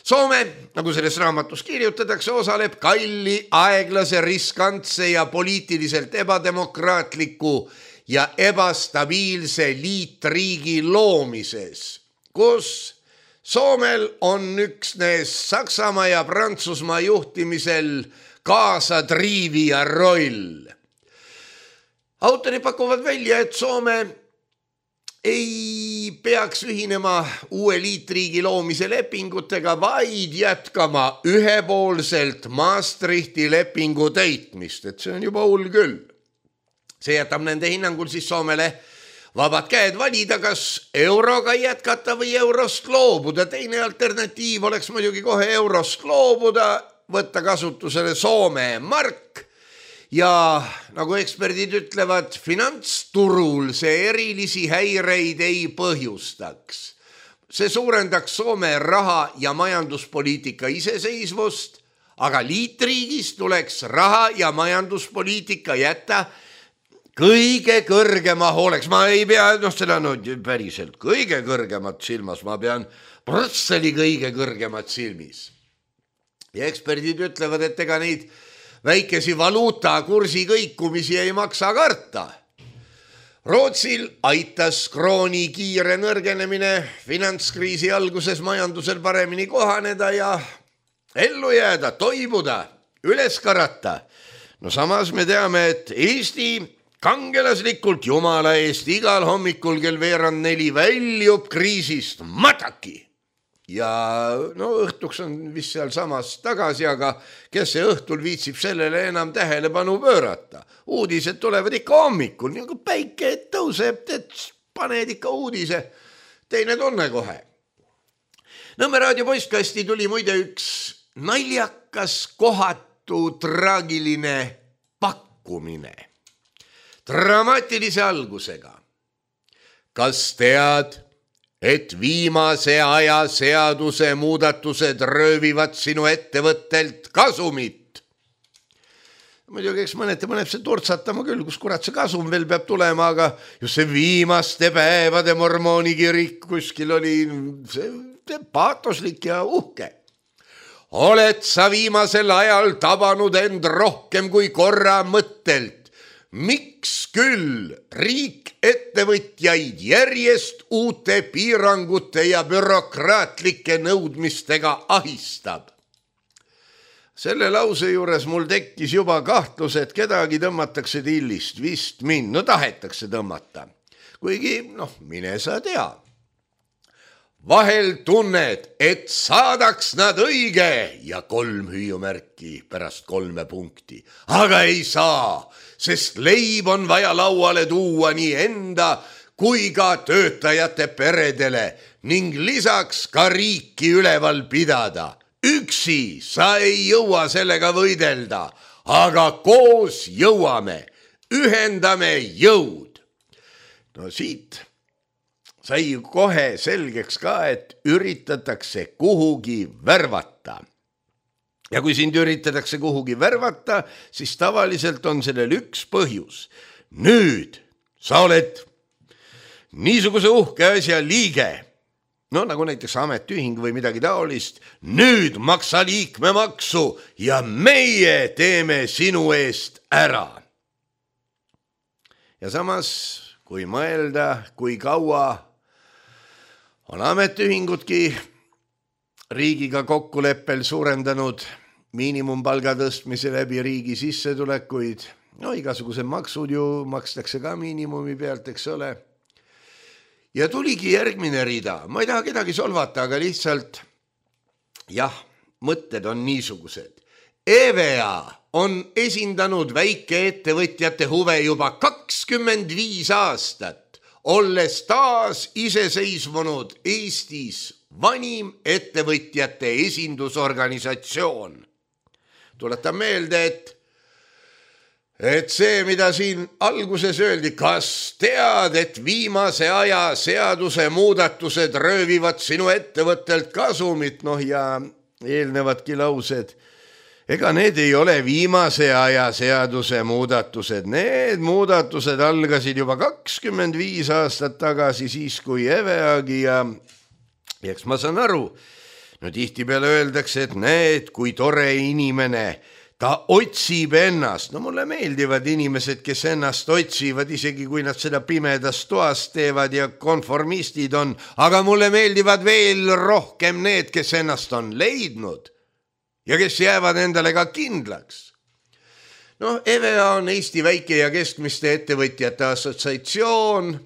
Soome, nagu selles raamatus kirjutatakse, osaleb kalli, aeglase, riskantse ja poliitiliselt ebademokraatliku ja ebastabiilse liitriigi loomises, kus Soomel on üksnes Saksamaa ja Prantsusmaa juhtimisel kaasatriivija roll. Autorid pakuvad välja, et Soome ei peaks ühinema uue liitriigi loomise lepingutega, vaid jätkama ühepoolselt Maastrichti lepingu täitmist, et see on juba hull küll. See jätab nende hinnangul siis Soomele vabad käed valida, kas euroga jätkata või eurost loobuda. Teine alternatiiv oleks muidugi kohe eurost loobuda võtta kasutusele Soome mark ja nagu eksperdid ütlevad, finantsturul see erilisi häireid ei põhjustaks. See suurendaks Soome raha- ja majanduspoliitika iseseisvust, aga liitriigis tuleks raha- ja majanduspoliitika jätta kõige kõrgema hooleks. Ma ei pea, seda päriselt kõige kõrgemat silmas, ma pean Brüsseli kõige kõrgemat silmis. Ja eksperdid ütlevad, et ega neid väikesi valuutakursi kõikumisi ei maksa karta. Rootsil aitas krooni kiire nõrgenemine finantskriisi alguses majandusel paremini kohaneda ja ellu jääda, toibuda, üles karata. No samas me teame, et Eesti kangelaslikult jumala eest igal hommikul kell 3:45 väljub kriisist mataki. Ja õhtuks on vist seal samas tagasi, aga kes see õhtul viitsib sellele enam tähelepanu pöörata. Uudised tulevad ikka hommikul, nagu päike tõuseb, et paned ikka uudise, teine tunne kohe. Nõmme raadio postkasti tuli muide üks naljakas, kohatu, traagiline pakkumine. Dramaatilise algusega. Kas tead, et viimase aja seaduse muudatused röövivad sinu ettevõttelt kasumit? Muidugi, eks mõneti paneb see turtsatama küll, kus kurat see kasum veel peab tulema, aga just see viimaste päevade mormoonikirik kuskil oli see paatoslik ja uhke. Oled sa viimasel ajal tabanud end rohkem kui korra mõttelt? Miks küll riik ettevõtjaid järjest uute piirangute ja bürokraatlike nõudmistega ahistab? Selle lause juures mul tekkis juba kahtlus, et kedagi tõmmatakse tillist, vist mind, tahetakse tõmmata. Kuigi, mine sa tea. Vahel tunned, et saadaks nad õige ja 3 hüüumärki pärast 3 punkti. Aga ei saa, sest leib on vaja lauale tuua nii enda kui ka töötajate peredele ning lisaks ka riiki üleval pidada. Üksi sa ei jõua sellega võidelda, aga koos jõuame, ühendame jõud. Siit sai kohe selgeks ka, et üritatakse kuhugi värvata. Ja kui sind üritatakse kuhugi värvata, siis tavaliselt on sellel üks põhjus. Nüüd sa oled niisuguse uhke asja liige, nagu näiteks ametiühing või midagi taolist, nüüd maksa liikmemaksu ja meie teeme sinu eest ära. Ja samas, kui mõelda, kui kaua on ametiühingudki riigiga kokkuleppel suurendanud miinimumpalga tõstmise läbi riigi sissetulekuid. Igasuguse maksud ju makstakse ka miinimumi pealt, eks ole. Ja tuligi järgmine rida. Ma ei taha kedagi solvata, aga lihtsalt, mõtted on niisugused. EVA on esindanud väikeettevõtjate huve juba 25 aastat. Olles taas iseseisvunud Eestis vanim ettevõtjate esindusorganisatsioon. Tuletan meelde, et see, mida siin alguses öeldi, kas tead, et viimase aja seaduse muudatused röövivad sinu ettevõttelt kasumit, ja eelnevadki laused. Ega need ei ole viimase aja seaduse muudatused. Need muudatused algasid juba 25 aastat tagasi, siis kui EVEAgi ja eks ma saan aru, tihti peale öeldakse, et näed, kui tore inimene, ta otsib ennast. Mulle meeldivad inimesed, kes ennast otsivad, isegi kui nad seda pimedas toas teevad ja konformistid on, aga mulle meeldivad veel rohkem need, kes ennast on leidnud. Ja kes jäävad endale ka kindlaks. EVEA on Eesti väike- ja keskmiste ettevõtjate assotsiatsioon.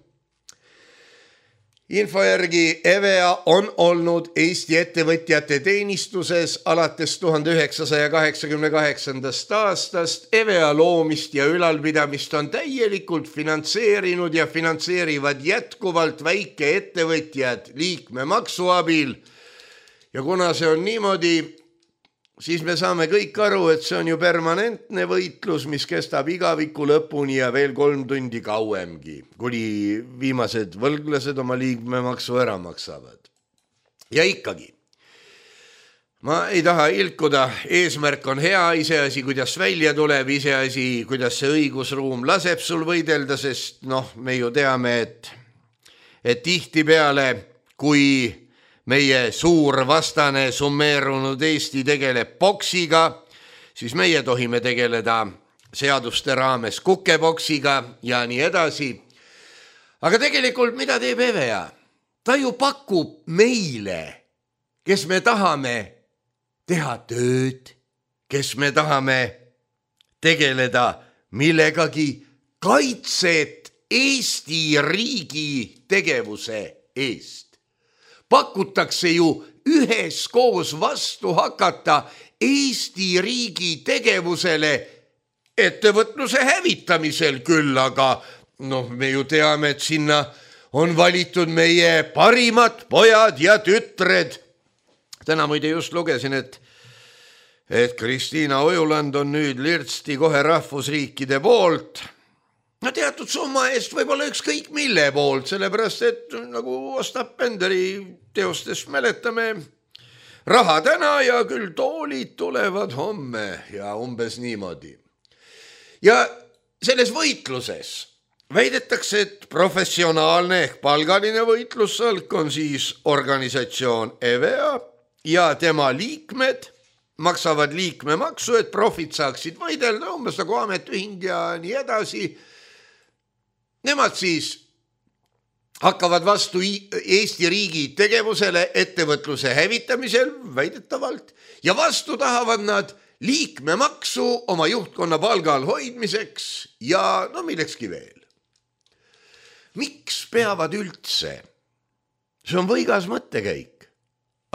Info järgi EVEA on olnud Eesti ettevõtjate teenistuses alates 1988. aastast. EVEA loomist ja ülalpidamist on täielikult finantseerinud ja finantseerivad jätkuvalt väikeettevõtjad liikmemaksu abil. Ja kuna see on niimoodi, siis me saame kõik aru, et see on ju permanentne võitlus, mis kestab igaviku lõpuni ja veel 3 tundi kauemgi, kuni viimased võlglased oma liikmemaksu ära maksavad. Ja ikkagi, ma ei taha ilkuda, eesmärk on hea, iseasi, kuidas välja tuleb, iseasi, kuidas see õigusruum laseb sul võidelda, sest me ju teame, et tihtipeale, kui meie suur vastane summeerunud Eesti tegeleb boksiga, siis meie tohime tegeleda seaduste raames kukeboksiga ja nii edasi. Aga tegelikult mida teeb EVEA? Ta ju pakub meile, kes me tahame teha tööd, kes me tahame tegeleda millegagi kaitset Eesti riigi tegevuse eest. Pakutakse ju üheskoos vastu hakata Eesti riigi tegevusele ettevõtluse hävitamisel küll, aga me ju teame, et sinna on valitud meie parimad pojad ja tütred. Täna muide just lugesin, et Kristiina Ojuland on nüüd lirtsti kohe rahvusriikide poolt. Teatud summa eest võib-olla ükskõik mille poolt, sellepärast et nagu Ostap Benderi teostes mäletame, raha täna ja küll toolid tulevad homme ja umbes niimoodi. Ja selles võitluses väidetakse, et professionaalne ehk palgaline võitlussalk on siis organisatsioon EVEA ja tema liikmed maksavad liikmemaksu, et profid saaksid võidelda, umbes nagu ametiühing ja nii edasi. Nemad siis hakkavad vastu Eesti riigi tegevusele ettevõtluse hävitamisel väidetavalt ja vastu tahavad nad liikmemaksu oma juhtkonna palgal hoidmiseks ja millekski veel. Miks peavad üldse? See on võigas mõttekäik,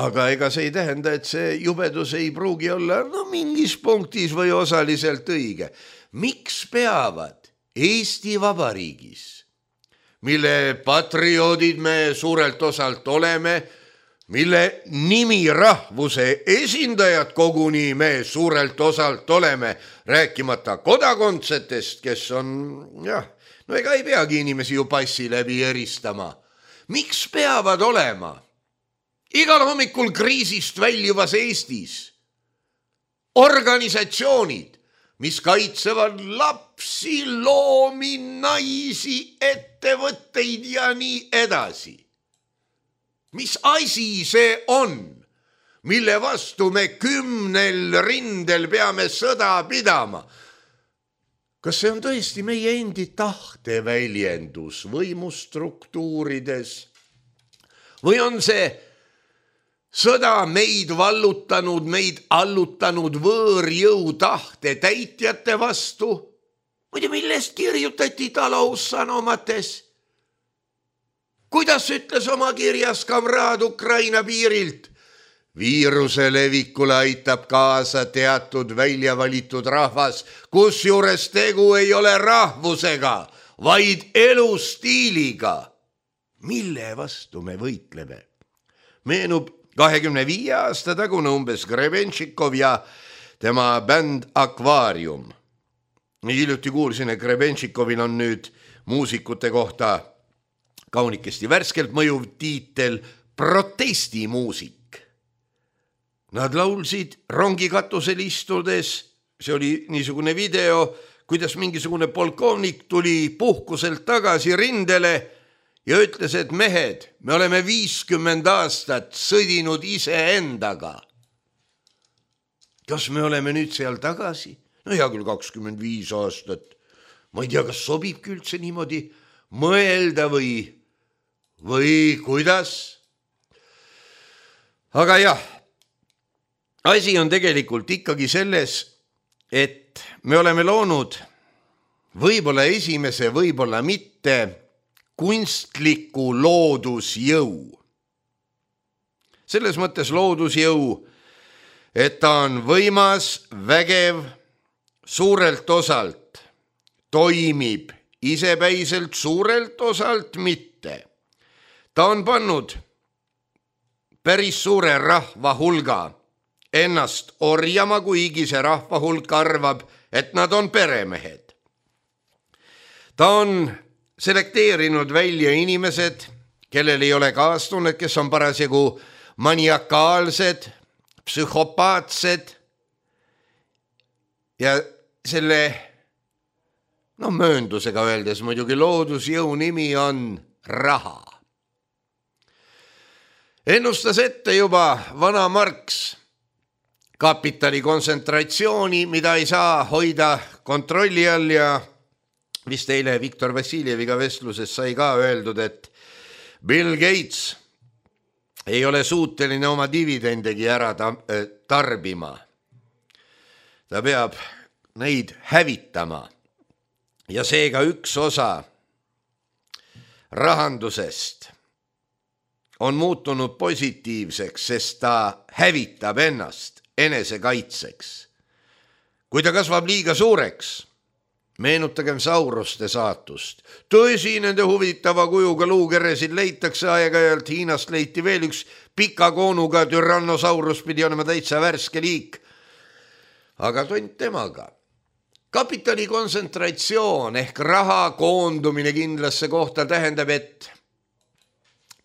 aga ega see ei tähenda, et see jubedus ei pruugi olla mingis punktis või osaliselt õige. Miks peavad Eesti Vabariigis, mille patrioodid me suurelt osalt oleme, mille nimi rahvuse esindajad koguni me suurelt osalt oleme, rääkimata kodakondsetest, kes on, ega ei peagi inimesi ju passi läbi eristama. Miks peavad olema igal hommikul kriisist väljuvas Eestis organisatsioonid, mis kaitsevad lapsi, loomi, naisi, ettevõtteid ja nii edasi? Mis asi see on, mille vastu me 10 rindel peame sõda pidama? Kas see on tõesti meie endi tahteväljendus võimustruktuurides? Või on see sõda meid vallutanud, meid allutanud võõrjõu tahte täitjate vastu? Muide, millest kirjutati taloussanomates? Kuidas ütles oma kirjas kamraad Ukraina piirilt? Viiruse levikule aitab kaasa teatud väljavalitud rahvas, kusjuures tegu ei ole rahvusega, vaid elustiiliga. Mille vastu me võitleme? Meenub 25 aasta tagune umbes Grebenšikov ja tema bänd Akvaarium. Hiljuti kuulsin, et Grebenšikovil on nüüd muusikute kohta kaunikesti värskelt mõjuv tiitel protestimuusik. Nad laulsid rongikatusel istudes, see oli niisugune video, kuidas mingisugune polkovnik tuli puhkuselt tagasi rindele ja ütles, et mehed, me oleme 50 aastat sõdinud iseendaga. Kas me oleme nüüd seal tagasi? Hea küll 25 aastat. Ma ei tea, kas sobibki üldse niimoodi mõelda või kuidas? Aga jah, asi on tegelikult ikkagi selles, et me oleme loonud võib-olla esimese, võib-olla mitte kunstliku loodusjõu. Selles mõttes loodusjõu, et ta on võimas, vägev, suurelt osalt, toimib isepäiselt, suurelt osalt mitte. Ta on pannud päris suure rahva hulga ennast orjama, kuigi see rahva hulk arvab, et nad on peremehed. Ta on selekteerinud välja inimesed, kellel ei ole kaastunnet, kes on parasjagu maniakaalsed, psühhopaatsed ja selle mööndusega öeldes muidugi loodusjõu nimi on raha. Ennustas ette juba vana Marx kapitali kontsentratsiooni, mida ei saa hoida kontrolli all ja vist eile Viktor Vassiljeviga vestluses sai ka öeldud, et Bill Gates ei ole suuteline oma dividendegi ära tarbima. Ta peab neid hävitama ja seega üks osa rahandusest on muutunud positiivseks, sest ta hävitab ennast enesekaitseks. Kui ta kasvab liiga suureks, meenutagem sauruste saatust. Tõsi, nende huvitava kujuga luukeresid leitakse aeg-ajalt. Hiinast leiti veel üks pika koonuga Tyrannosaurus, pidi olema täitsa värske liik. Aga tont temaga. Kapitali kontsentratsioon ehk raha koondumine kindlasse kohta tähendab, et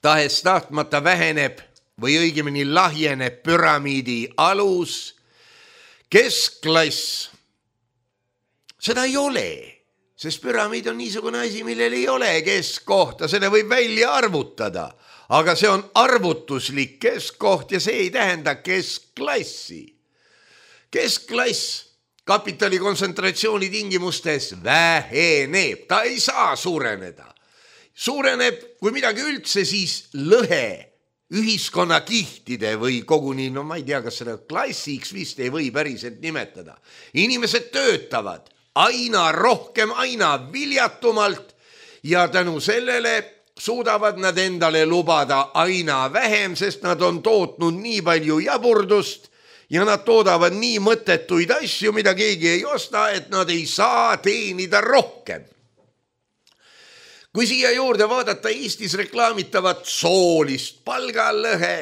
tahes tahtmata väheneb või õigemini lahjeneb püramiidi alus, keskklass. Seda ei ole, sest püramiid on niisugune asi, millel ei ole keskkohta, selle võib välja arvutada, aga see on arvutuslik keskkoht ja see ei tähenda keskklassi. Keskklass kapitali kontsentratsiooni tingimustes väheneb, ta ei saa suureneda. Suureneb, kui midagi üldse, siis lõhe ühiskonnakihtide või koguni, ma ei tea, kas seda klassiks vist ei või päriselt nimetada. Inimesed töötavad aina rohkem, aina viljatumalt ja tänu sellele suudavad nad endale lubada aina vähem, sest nad on tootnud nii palju jaburdust ja nad toodavad nii mõttetuid asju, mida keegi ei osta, et nad ei saa teenida rohkem. Kui siia juurde vaadata Eestis reklaamitavat soolist palgalõhe,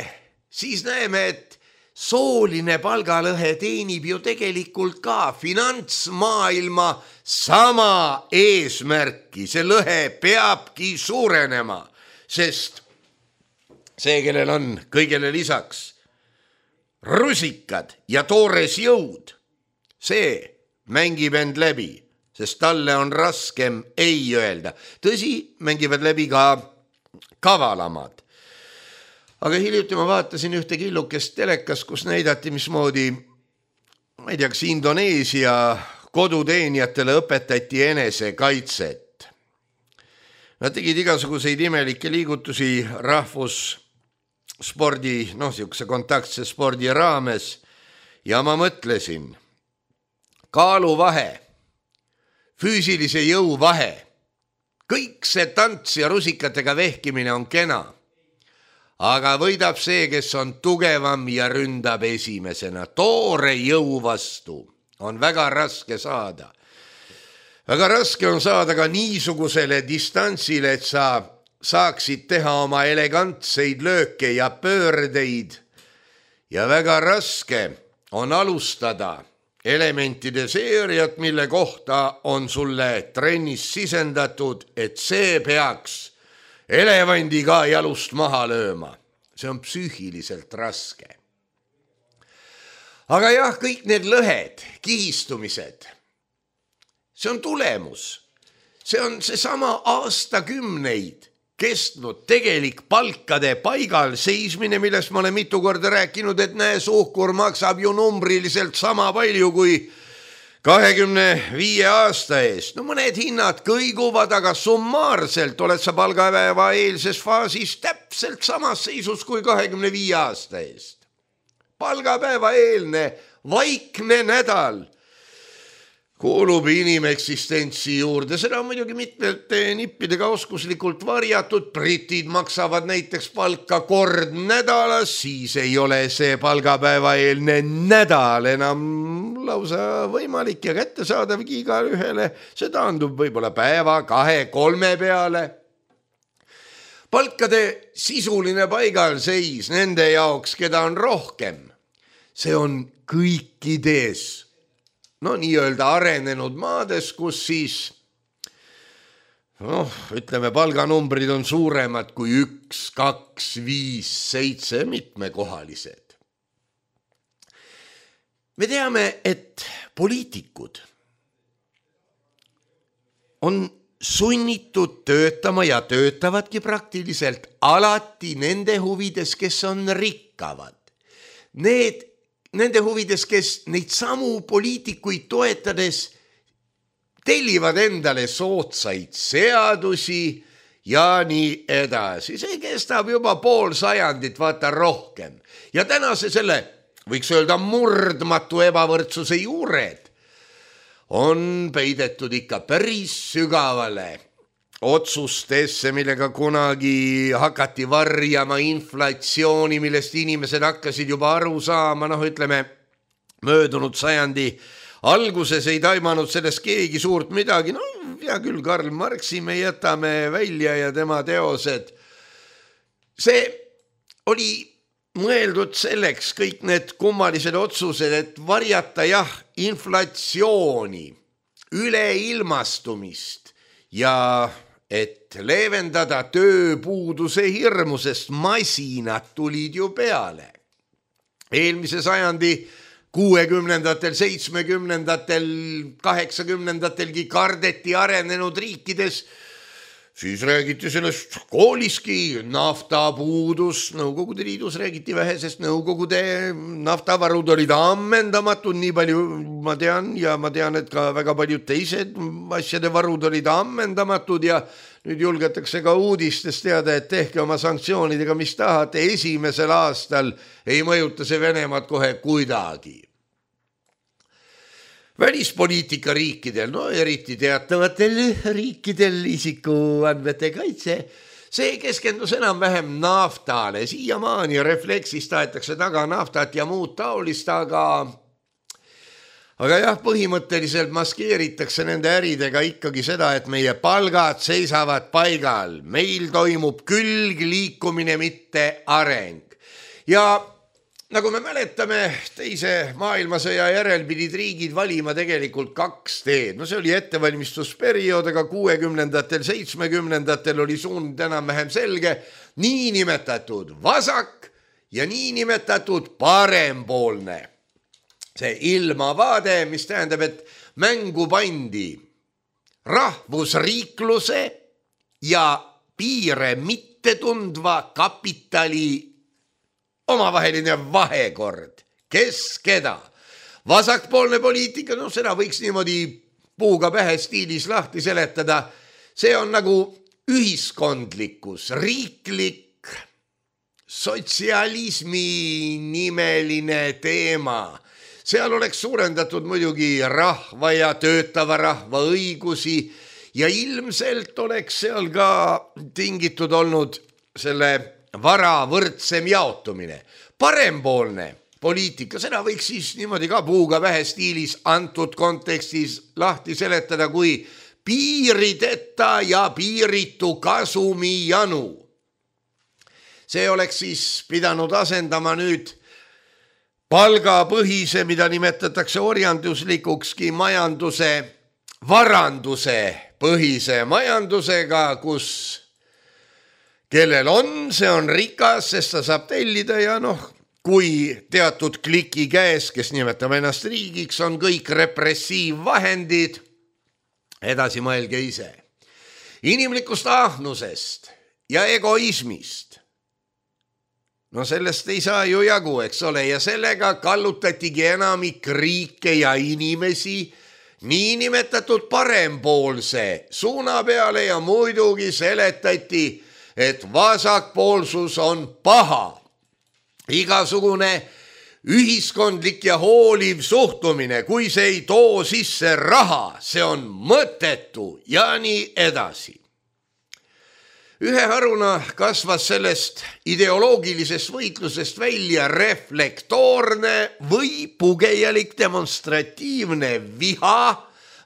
siis näeme, et sooline palgalõhe teenib ju tegelikult ka finantsmaailma sama eesmärki. See lõhe peabki suurenema, sest see, kellel on kõigele lisaks rusikad ja toores jõud, see mängib end läbi, sest talle on raskem ei öelda. Tõsi, mängivad läbi ka kavalamad. Aga hiljuti ma vaatasin ühte killukest telekas, kus näidati, mismoodi, ma ei tea, kas Indoneesia koduteenijatele õpetati enesekaitset. Nad tegid igasuguseid imelikke liigutusi rahvusspordi, siukse kontaktse spordi raames ja ma mõtlesin, kaaluvahe, füüsilise jõu vahe, kõik see tants ja rusikatega vehkimine on kena. Aga võidab see, kes on tugevam ja ründab esimesena. Toore jõu vastu on väga raske saada. Väga raske on saada ka niisugusele distantsile, et sa saaksid teha oma elegantseid lööke ja pöördeid. Ja väga raske on alustada elementide seeriat, mille kohta on sulle trennis sisendatud, et see peaks elevandi ka jalust maha lööma. See on psüühiliselt raske. Aga jah, kõik need lõhed, kihistumised, see on tulemus. See on seesama aastakümneid kestnud tegelik palkade paigal seismine, millest ma olen mitu korda rääkinud, et näe, suhkur maksab ju numbriliselt sama palju kui 25 aasta eest. Mõned hinnad kõiguvad, aga summaarselt oled sa palgapäeva eelses faasis täpselt samas seisus kui 25 aasta eest. Palgapäeva eelne vaikne nädal kuulub inimeksistentsi juurde. Seda on muidugi mitmete nippidega oskuslikult varjatud. Britid maksavad näiteks palka kord nädalas, siis ei ole see palgapäeva eelne nädal enam lausa võimalik ja kättesaadavgi iga ühele. See taandub võib-olla päeva, 2-3 peale. Palkade sisuline paigalseis nende jaoks, keda on rohkem, see on kõikides, no nii-öelda arenenud maades, kus siis ütleme, palganumbrid on suuremad kui 1, 2, 5, 7 mitmekohalised. Me teame, et poliitikud on sunnitud töötama ja töötavadki praktiliselt alati nende huvides, kes on rikkavad. Nende huvides, kes neid samu poliitikuid toetades tellivad endale soodsaid seadusi ja nii edasi. See kestab juba pool sajandit, vaata rohkem. Ja tänase selle, võiks öelda murdmatu ebavõrdsuse juured, on peidetud ikka päris sügavale otsustesse, millega kunagi hakati varjama inflatsiooni, millest inimesed hakkasid juba aru saama, ütleme, möödunud sajandi alguses ei taimanud sellest keegi suurt midagi, hea küll, Karl Marxi me jätame välja ja tema teosed. See oli mõeldud selleks, kõik need kummalised otsused, et varjata inflatsiooni, üleilmastumist ja et leevendada tööpuuduse hirmu, sest masinad tulid ju peale. Eelmise sajandi 60-ndatel, 70-ndatel, 80-ndatelgi kardeti arenenud riikides, siis räägiti sellest kooliski, naftapuudus, Nõukogude Liidus räägiti vähe, sest Nõukogude naftavarud olid ammendamatud, nii palju ma tean, ja ma tean, et ka väga paljud teised asjade varud olid ammendamatud ja nüüd julgetakse ka uudistest teada, et tehke oma sanktsioonidega, mis tahate, esimesel aastal ei mõjuta see Venemaad kohe kuidagi. Välispoliitika riikidel, eriti teatavatel riikidel isikuandmete kaitse, see keskendus enam-vähem naftale, siiamaani refleksist tahetakse taga naftat ja muud taolist, aga põhimõtteliselt maskeeritakse nende äridega ikkagi seda, et meie palgad seisavad paigal, meil toimub külgliikumine, mitte areng. Ja nagu me mäletame, teise maailmasõja järel pidid riigid valima tegelikult 2 teed. See oli ettevalmistusperiood, aga 60-ndatel, 70-ndatel oli suund enam-vähem selge, niinimetatud vasak ja niinimetatud parempoolne. See ilmavaade, mis tähendab, et mängu pandi rahvusriikluse ja piire mitte tundva kapitali omavaheline vahekord, kes keda. Vasakpoolne poliitika, seda võiks niimoodi puuga pähe stiilis lahti seletada, see on nagu ühiskondlikkus, riiklik sotsialismi nimeline teema. Seal oleks suurendatud muidugi rahva ja töötava rahva õigusi ja ilmselt oleks seal ka tingitud olnud selle vara võrdsem jaotumine. Parempoolne poliitika, seda võiks siis niimoodi ka puuga vähe stiilis antud kontekstis lahti seletada kui piirideta ja piiritu kasumi janu. See oleks siis pidanud asendama nüüd palgapõhise, mida nimetatakse orjanduslikukski majanduse, varanduse põhise majandusega, kus kellel on, see on rikas, sest ta saab tellida ja kui teatud kliki käes, kes nimetab ennast riigiks, on kõik repressiivvahendid, edasi mõelge ise. Inimlikust ahnusest ja egoismist. Sellest ei saa ju jagu, eks ole, ja sellega kallutatigi enamik riike ja inimesi niinimetatud parempoolse suuna peale ja muidugi seletati, et vasakpoolsus on paha. Igasugune ühiskondlik ja hooliv suhtumine, kui see ei too sisse raha, see on mõttetu ja nii edasi. Ühe haruna kasvas sellest ideoloogilisest võitlusest välja reflektoorne või pugejalik demonstratiivne viha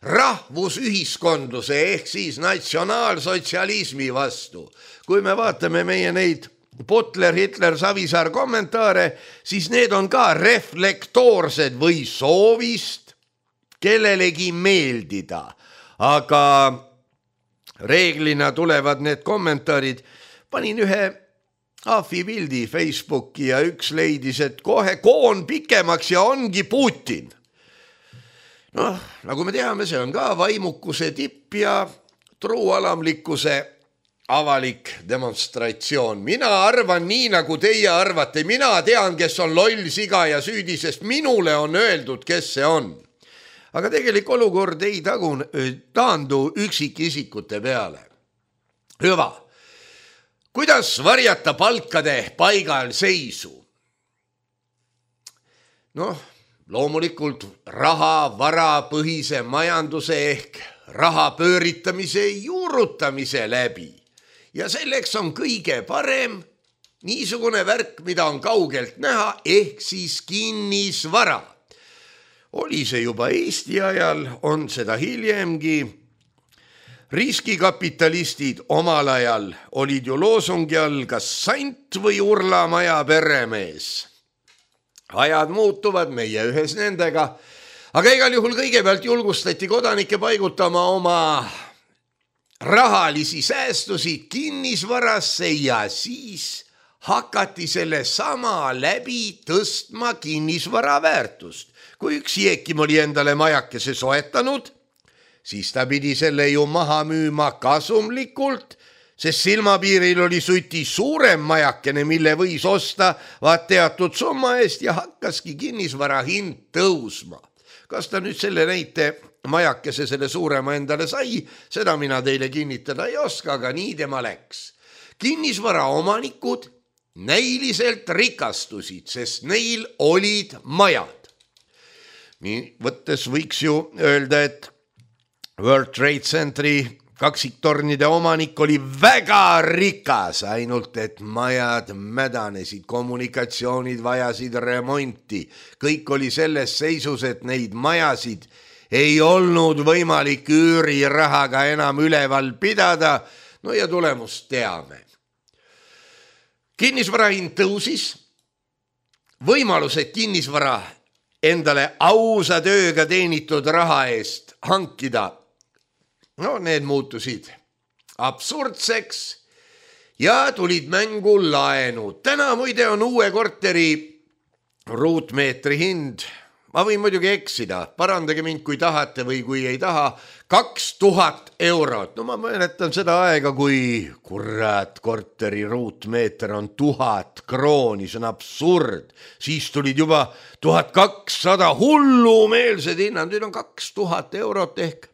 rahvusühiskondluse ehk siis natsionaalsotsialismi vastu. Kui me vaatame meie neid Butler, Hitler, Savisaar kommentaare, siis need on ka reflektoorsed või soovist kellelegi meeldida. Aga reeglina tulevad need kommentaarid. Panin ühe Ahvi pildi Facebooki ja üks leidis, et kohe koon pikemaks ja ongi Putin. Noh, nagu me teame, see on ka vaimukuse tipp ja truualamlikkuse avalik demonstratsioon. Mina arvan nii, nagu teie arvate. Mina tean, kes on loll, siga ja süüdi, sest minule on öeldud, kes see on. Aga tegelik olukord ei taandu üksikisikute peale. Hüva. Kuidas varjata palkade paigal seisu? Noh, loomulikult raha, varapõhise majanduse ehk raha pööritamise juurutamise läbi. Ja selleks on kõige parem niisugune värk, mida on kaugelt näha, ehk siis kinnisvara. Oli see juba Eesti ajal, on seda hiljemgi. Riskikapitalistid omal ajal olid ju loosungi all kas sant või Urlamaja peremees. Ajad muutuvad, meie ühes nendega, aga igal juhul kõigepealt julgustati kodanikke paigutama oma rahalisi säästusid kinnisvarasse ja siis hakati selle sama läbi tõstma kinnisvara väärtust. Kui üks Jeekim oli endale majakese soetanud, siis ta pidi selle ju maha müüma kasumlikult, sest silmapiiril oli suti suurem majakene, mille võis osta vaat teatud summa eest ja hakkaski kinnisvara hind tõusma. Kas ta nüüd selle näite majakese selle suurema endale sai, seda mina teile kinnitada ei oska, aga nii tema läks. Kinnisvara omanikud näiliselt rikastusid, sest neil olid majad. Nii võttes võiks ju öelda, et World Trade Centeri kaksiktornide omanik oli väga rikas, ainult et majad mädanesid, kommunikatsioonid vajasid remonti. Kõik oli selles seisus, et neid majasid ei olnud võimalik üürirahaga enam üleval pidada. No ja tulemust teame. Kinnisvara hind tõusis, võimalused kinnisvara endale ausa tööga teenitud raha eest hankida. No need muutusid absurdseks ja tulid mängu laenud. Täna muide on uue korteri ruutmeetri hind. Ma võin muidugi eksida, parandage mind kui tahate või kui ei taha, 2000 eurot. No ma mäletan seda aega, kui kurat korteri ruutmeeter on 1000 krooni, see on absurd. Siis tulid juba 1200 hullumeelsed hinnad, nüüd on 2000 eurot ehk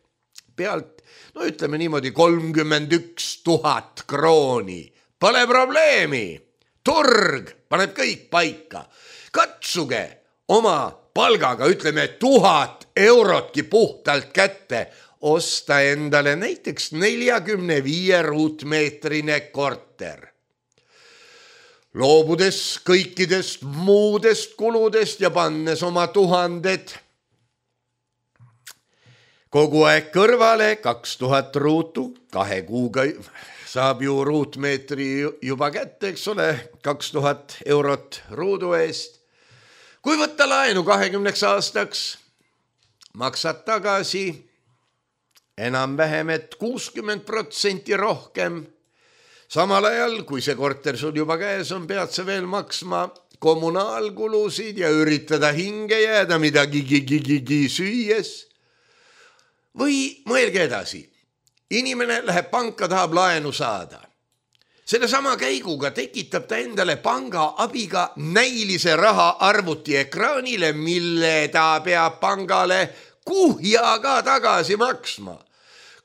pealt. No ütleme niimoodi 31 000 krooni. Pole probleemi. Turg paneb kõik paika. Katsuge oma palgaga, ütleme 1000 eurotki puhtalt kätte, osta endale näiteks 45 ruutmeetrine korter. Loobudes kõikidest muudest kuludest ja pannes oma 1000 kogu aeg kõrvale, 2000 ruutu, 2 kuuga saab ju ruutmeetri juba kätte, eks ole, 2000 eurot ruudu eest. Kui võtta laenu 20 aastaks, maksad tagasi enam-vähem, et 60% rohkem. Samal ajal, kui see korter sul juba käes on, pead sa veel maksma kommunaalkulusid ja üritada hinge jääda midagi süües. Või mõelge edasi. Inimene läheb panka, tahab laenu saada. Selle sama käiguga tekitab ta endale panga abiga näilise raha arvuti ekraanile, mille ta peab pangale kuhjaga tagasi maksma.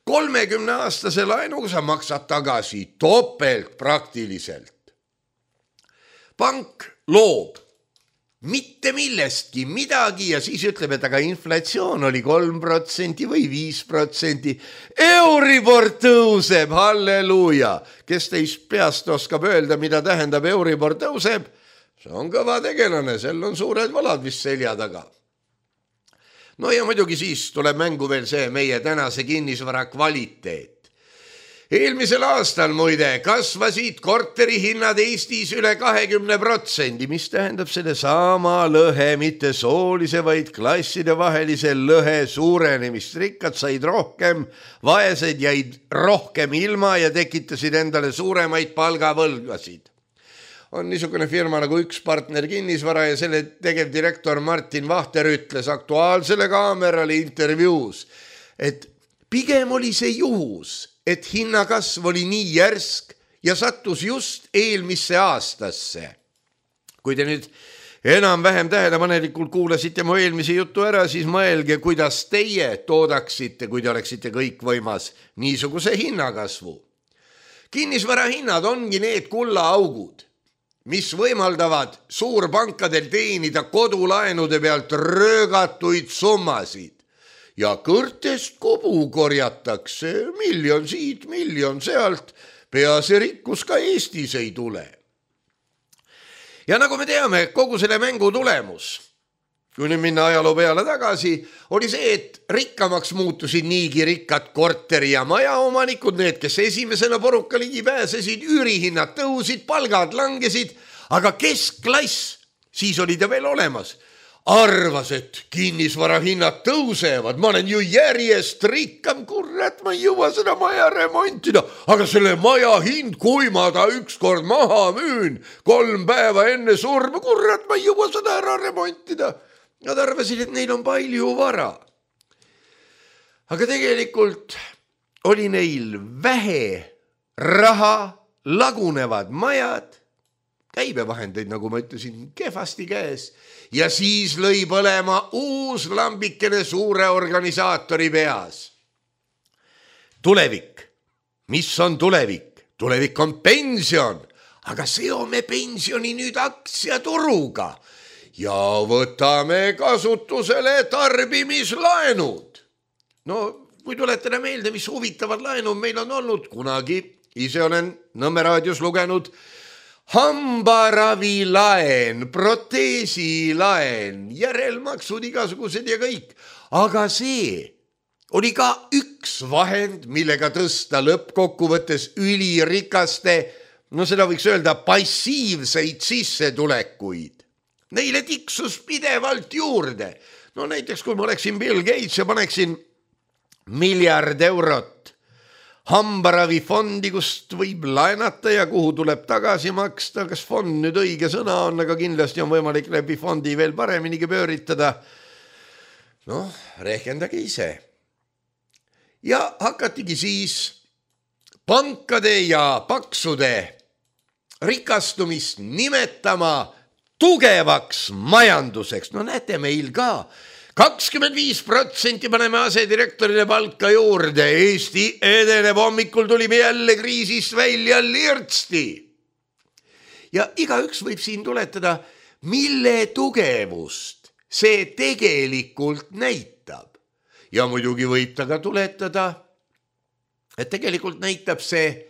30-aastase laenuga sa maksad tagasi topelt praktiliselt. Pank loob mitte millestki midagi ja siis ütleb, et aga inflatsioon oli 3% või 5%. Euribor tõuseb, halleluuja. Kes teist peast oskab öelda, mida tähendab Euribor tõuseb? See on kõva tegelane, sel on suured valad vist selja taga. No ja muidugi siis tuleb mängu veel see meie tänase kinnisvara kvaliteet. Eelmisel aastal muide kasvasid korterihinnad Eestis üle 20%, mis tähendab selle sama lõhe, mitte soolise, vaid klasside vahelise lõhe suurenemist. Rikkad said rohkem, vaesed jäid rohkem ilma ja tekitasid endale suuremaid palgavõlgasid. On niisugune firma nagu Üks Partner Kinnisvara ja selle tegevdirektor Martin Vahter ütles Aktuaalsele Kaamerale intervjuus, et pigem oli see juhus, et hinnakasv oli nii järsk ja sattus just eelmisse aastasse. Kui te nüüd enam-vähem tähelepanelikult kuulasite mu eelmise jutu ära, siis mõelge, kuidas teie toodaksite, kui te oleksite kõikvõimas niisuguse hinnakasvu. Kinnisvarahinnad ongi need kullaaugud, mis võimaldavad suurpankadel teenida kodulaenude pealt röögatuid summasid. Ja kõrtest kobu korjatakse, miljon siit, miljon sealt, pease rikkus ka Eestis ei tule. Ja nagu me teame, kogu selle mängu tulemus, kui nüüd minna ajaloo peale tagasi, oli see, et rikkamaks muutusid niigi rikkad korteri- ja majaomanikud, need, kes esimesena poruka ligi pääsesid, üürihinnad tõusid, palgad langesid, aga keskklass, siis oli ta veel olemas, arvas, et kinnisvarahinnad tõusevad, ma olen ju järjest rikkam, kurat, ma ei jõua seda maja remontida, aga selle maja hind, kui ma ta ükskord maha müün 3 päeva enne surma, kurat, ma ei jõua seda ära remontida. Nad arvasid, et neil on palju vara. Aga tegelikult oli neil vähe raha, lagunevad majad, käibevahendeid, nagu ma ütlesin, kehvasti käes ja siis lõi põlema uus lambikene suure organisaatori peas. Tulevik. Mis on tulevik? Tulevik on pension, aga seome pensioni nüüd aktsiaturuga ja võtame kasutusele tarbimislaenud. No, kui tuletada meelde, mis huvitavad laenud meil on olnud kunagi, ise olen Nõmme raadios lugenud hambaravilaen, proteesilaen, järelmaksud igasugused ja kõik. Aga see oli ka üks vahend, millega tõsta lõppkokkuvõttes ülirikaste, no seda võiks öelda passiivseid sissetulekuid. Neile tiksus pidevalt juurde. No näiteks, kui ma oleksin Bill Gates ja paneksin 1 miljard eurot hambaravifondi, kust võib laenata ja kuhu tuleb tagasi maksta, kas fond nüüd õige sõna on, aga kindlasti on võimalik läbi fondi veel pareminigi pööritada. Noh, rehkendage ise. Ja hakatigi siis pankade ja paksude rikastumist nimetama tugevaks majanduseks. No näete, meil ka 25% paneme asedirektorile palka juurde. Eesti edeneb, hommikul tulime jälle kriisist välja lirtsti. Ja igaüks võib siin tuletada, mille tugevust see tegelikult näitab. Ja muidugi võib ta ka tuletada, et tegelikult näitab see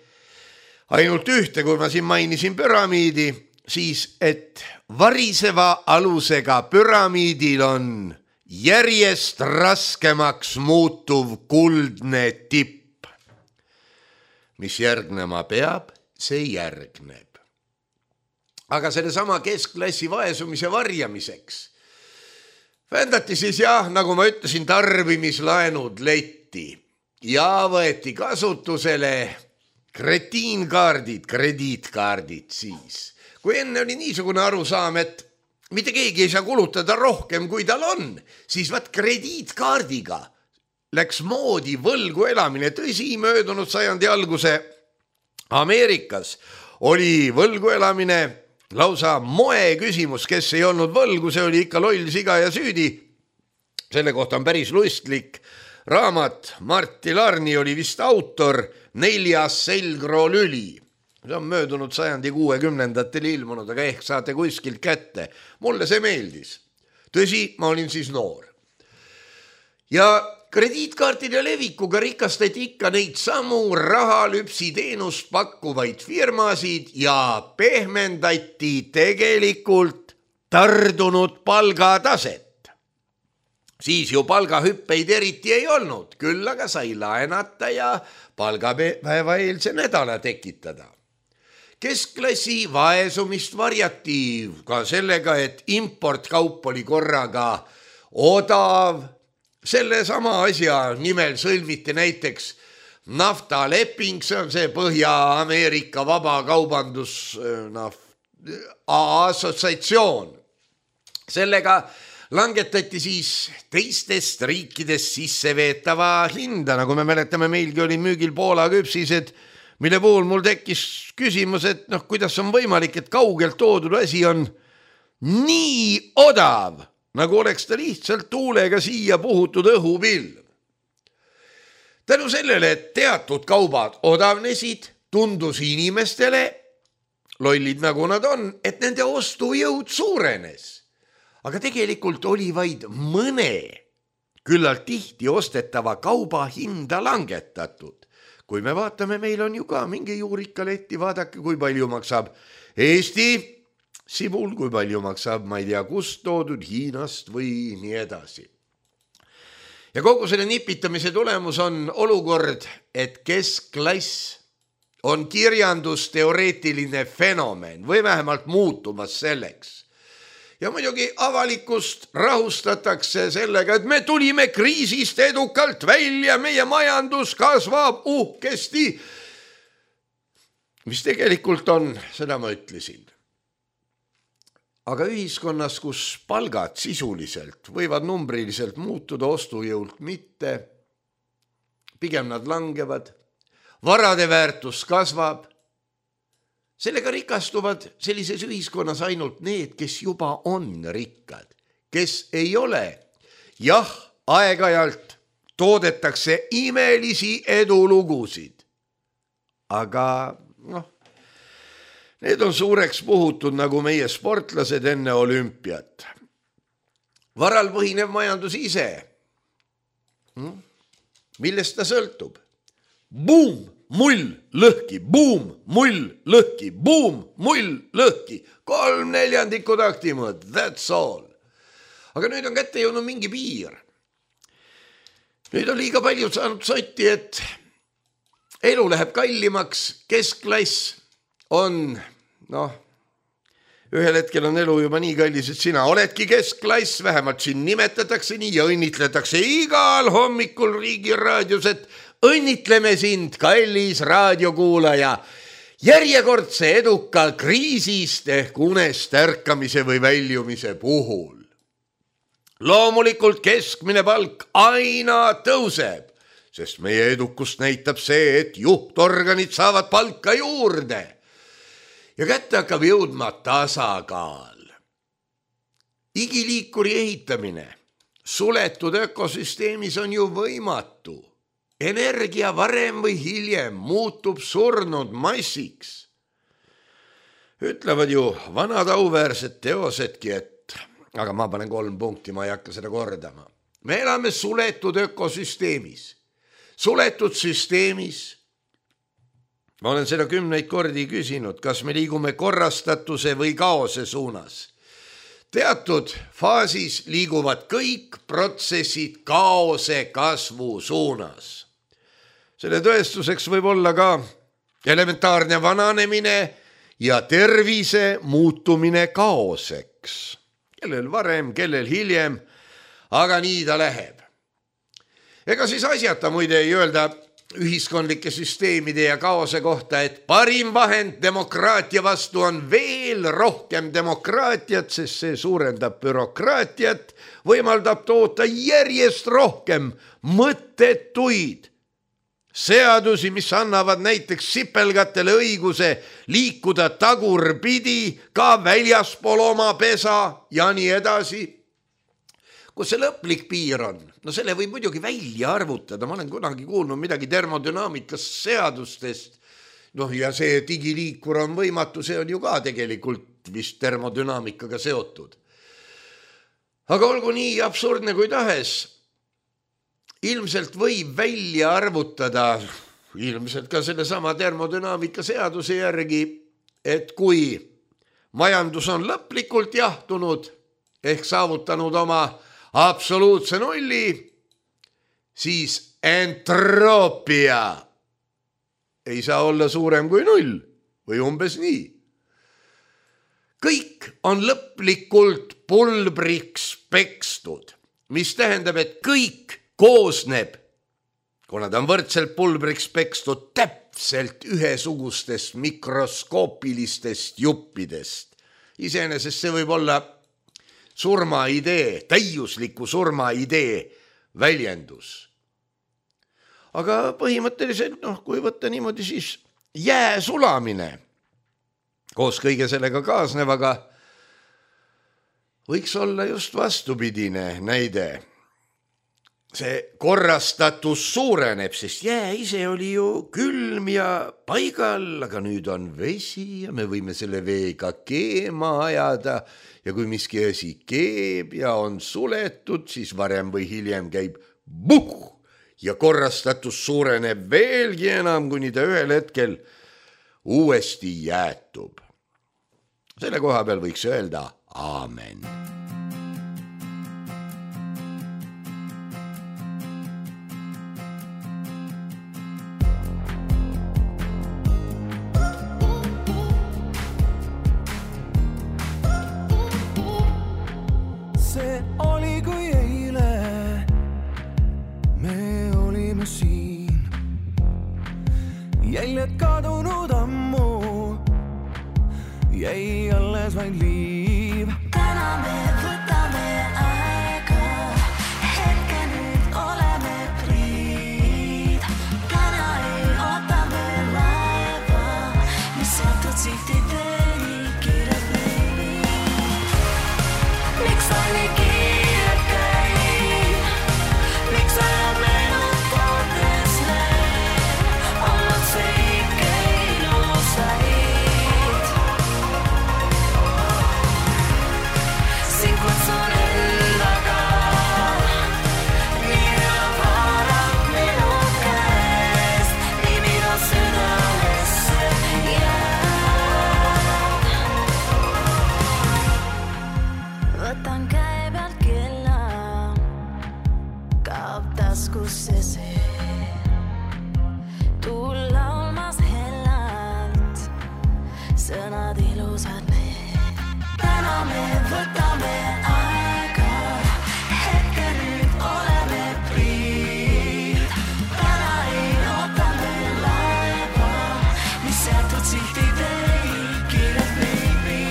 ainult ühte, kui ma siin mainisin püramiidi, siis et variseva alusega püramiidil on järjest raskemaks muutuv kuldne tipp. Mis järgnema peab, see järgneb. Aga selle sama keskklassi vaesumise varjamiseks vändati siis nagu ma ütlesin, tarbimislaenud letti ja võeti kasutusele krediitkaardid siis. Kui enne oli niisugune arusaam, et mitte keegi ei saa kulutada rohkem, kui tal on, siis krediitkaardiga läks moodi võlgu elamine. Tõsi, möödunud sajandi alguse Ameerikas oli võlgu elamine lausa moe küsimus, kes ei olnud võlgu, see oli ikka loll, siga ja süüdi. Selle kohta on päris lustlik raamat, Martti Larni oli vist autor, 4. selgroolüli. See on möödunud sajandi 60-ndatel ilmunud, aga ehk saate kuskilt kätte. Mulle see meeldis. Tõsi, ma olin siis noor. Ja krediitkaartide levikuga rikastati ikka neid samu rahalüpsi teenust pakkuvaid firmasid ja pehmendati tegelikult tardunud palgataset. Siis ju palgahüppeid eriti ei olnud, küll aga sai laenata ja palgapäeva eelse nädala tekitada. Keskklassi vaesumist varjati ka sellega, et importkaup oli korraga odav. Selle sama asja nimel sõlmiti näiteks naftaleping, see on see Põhja-Ameerika vabakaubandus assotsiatsioon. Sellega langetati siis teistest riikidest sisse veetava hinda, nagu me mäletame, meilgi oli müügil Poola küpsised, mille puhul mul tekkis küsimus, et kuidas on võimalik, et kaugelt toodud asi on nii odav, nagu oleks ta lihtsalt tuulega siia puhutud õhupilv. Tänu sellele, et teatud kaubad odavnesid, tundus inimestele, lollid nagu nad on, et nende ostujõud suurenes. Aga tegelikult oli vaid mõne küllalt tihti ostetava kauba hinda langetatud. Kui me vaatame, meil on ju ka mingi juurikaletti, vaadake, kui palju maksab Eesti sibul, kui palju maksab, ma ei tea, kust toodud, Hiinast või nii edasi. Ja kogu selle nipitamise tulemus on olukord, et keskklass on kirjandusteoreetiline fenomen või vähemalt muutumas selleks. Ja muidugi avalikust rahustatakse sellega, et me tulime kriisist edukalt välja, meie majandus kasvab uhkesti. Mis tegelikult on, seda ma ütlesin. Aga ühiskonnas, kus palgad sisuliselt võivad numbriliselt muutuda, ostujõult mitte, pigem nad langevad, varade väärtus kasvab, sellega rikastuvad sellises ühiskonnas ainult need, kes juba on rikkad, kes ei ole. Jah, aeg-ajalt toodetakse imelisi edulugusid, aga need on suureks puhutud nagu meie sportlased enne olümpiat. Varal põhinev majandus ise. Millest ta sõltub? Buum! Mull, lõhki, buum, mull, lõhki, buum, mull, lõhki. 3/4 taktimõõt, that's all. Aga nüüd on kätte jõudnud mingi piir. Nüüd on liiga palju saanud sotti, et elu läheb kallimaks, keskklass on, ühel hetkel on elu juba nii kallis, et sina oledki keskklass, vähemalt siin nimetatakse nii ja õnnitletakse igal hommikul Riigi Raadios, et õnnitleme sind, kallis raadiokuulaja, järjekordse eduka kriisist ehk unest ärkamise või väljumise puhul. Loomulikult keskmine palk aina tõuseb, sest meie edukust näitab see, et juhtorganid saavad palka juurde ja kätte hakkab jõudma tasakaal. Igiliikuri ehitamine suletud ökosüsteemis on ju võimatu. Energia varem või hiljem muutub surnud massiks. Ütlevad ju vanad auväärsed teosedki, et, aga ma panen 3 punkti, ma ei hakka seda kordama. Me elame suletud ökosüsteemis. Suletud süsteemis, ma olen seda 10 kordi küsinud, kas me liigume korrastatuse või kaose suunas. Teatud faasis liiguvad kõik protsessid kaose kasvu suunas. Selle tõestuseks võib olla ka elementaarne vananemine ja tervise muutumine kaoseks. Kellel varem, kellel hiljem, aga nii ta läheb. Ega siis asjata muide ei öelda ühiskondlike süsteemide ja kaose kohta, et parim vahend demokraatia vastu on veel rohkem demokraatiat, sest see suurendab bürokraatiat, võimaldab toota järjest rohkem mõttetuid seadusi, mis annavad näiteks sipelgatele õiguse liikuda tagurpidi ka väljaspool oma pesa ja nii edasi. Kus see lõplik piir on? Selle võib muidugi välja arvutada. Ma olen kunagi kuulnud midagi termodünaamikast seadustest. Ja see digiliikur on võimatu, see on ju ka tegelikult vist termodünaamikaga seotud. Aga olgu nii absurdne kui tahes. Ilmselt võib välja arvutada, ilmselt ka selle sama termodünaamika seaduse järgi, et kui majandus on lõplikult jahtunud ehk saavutanud oma absoluutse nulli, siis entroopia ei saa olla suurem kui 0 või umbes nii. Kõik on lõplikult pulbriks pekstud, mis tähendab, et kõik koosneb, kuna ta on võrdselt pulbriks pekstud, täpselt ühesugustest mikroskoopilistest juppidest. Iseenesest see võib olla surmaidee, täiusliku surmaidee väljendus. Aga põhimõtteliselt, kui võtta niimoodi, siis jää sulamine koos kõige sellega kaasnevaga võiks olla just vastupidine näide. See korrastatus suureneb, sest jää ise oli ju külm ja paigal, aga nüüd on vesi ja me võime selle veega keema ajada ja kui miski asi keeb ja on suletud, siis varem või hiljem käib buh ja korrastatus suureneb veelgi enam, kuni ta ühel hetkel uuesti jäätub. Selle koha peal võiks öelda aamen. See oli kui eile, me olime siin, jäljed kadunud ammu, jäi alles vaid liiv. Täna me võtame aega, hetke nüüd oleme priid. Täna ei oota me laeva, mis seotud sihtid ei kiire baby. Miks ta nii kiire käib? Miks ajab meenutades need? Olnud see ikka ilusaid. Siin kutsun endaga, nii elab haarab minu käest, nii minu südamesse jääb. Võtan käe pealt kella, kaob taskusse see. Tuul laulmas hellalt, sõnad ilusad need. Täna me võtame aega, hetke nüüd oleme priid. Täna ei oota me laeva, mis seotud sihtid ei kiire baby.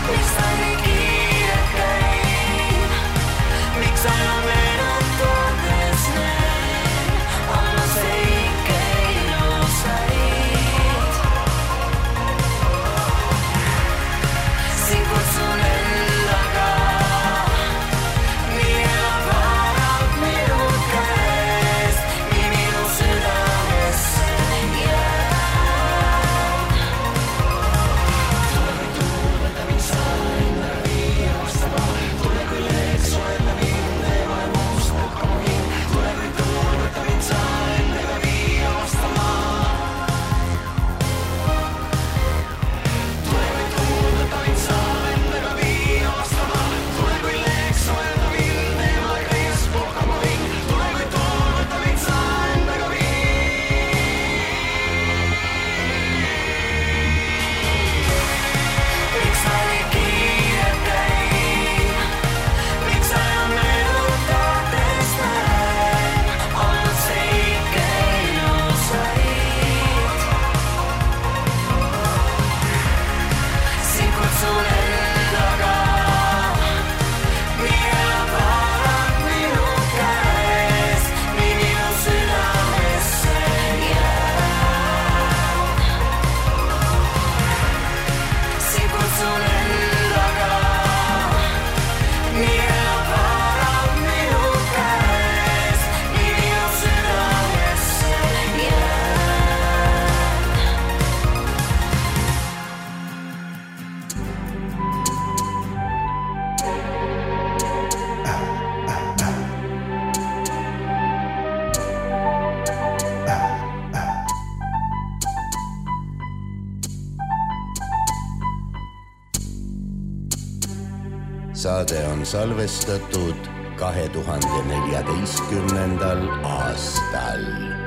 Miks ta nii kiire käib? Miks ajab meenutades need? Olnud see ikka ilusaid. Siin kutsun saade on salvestatud 2014. aastal.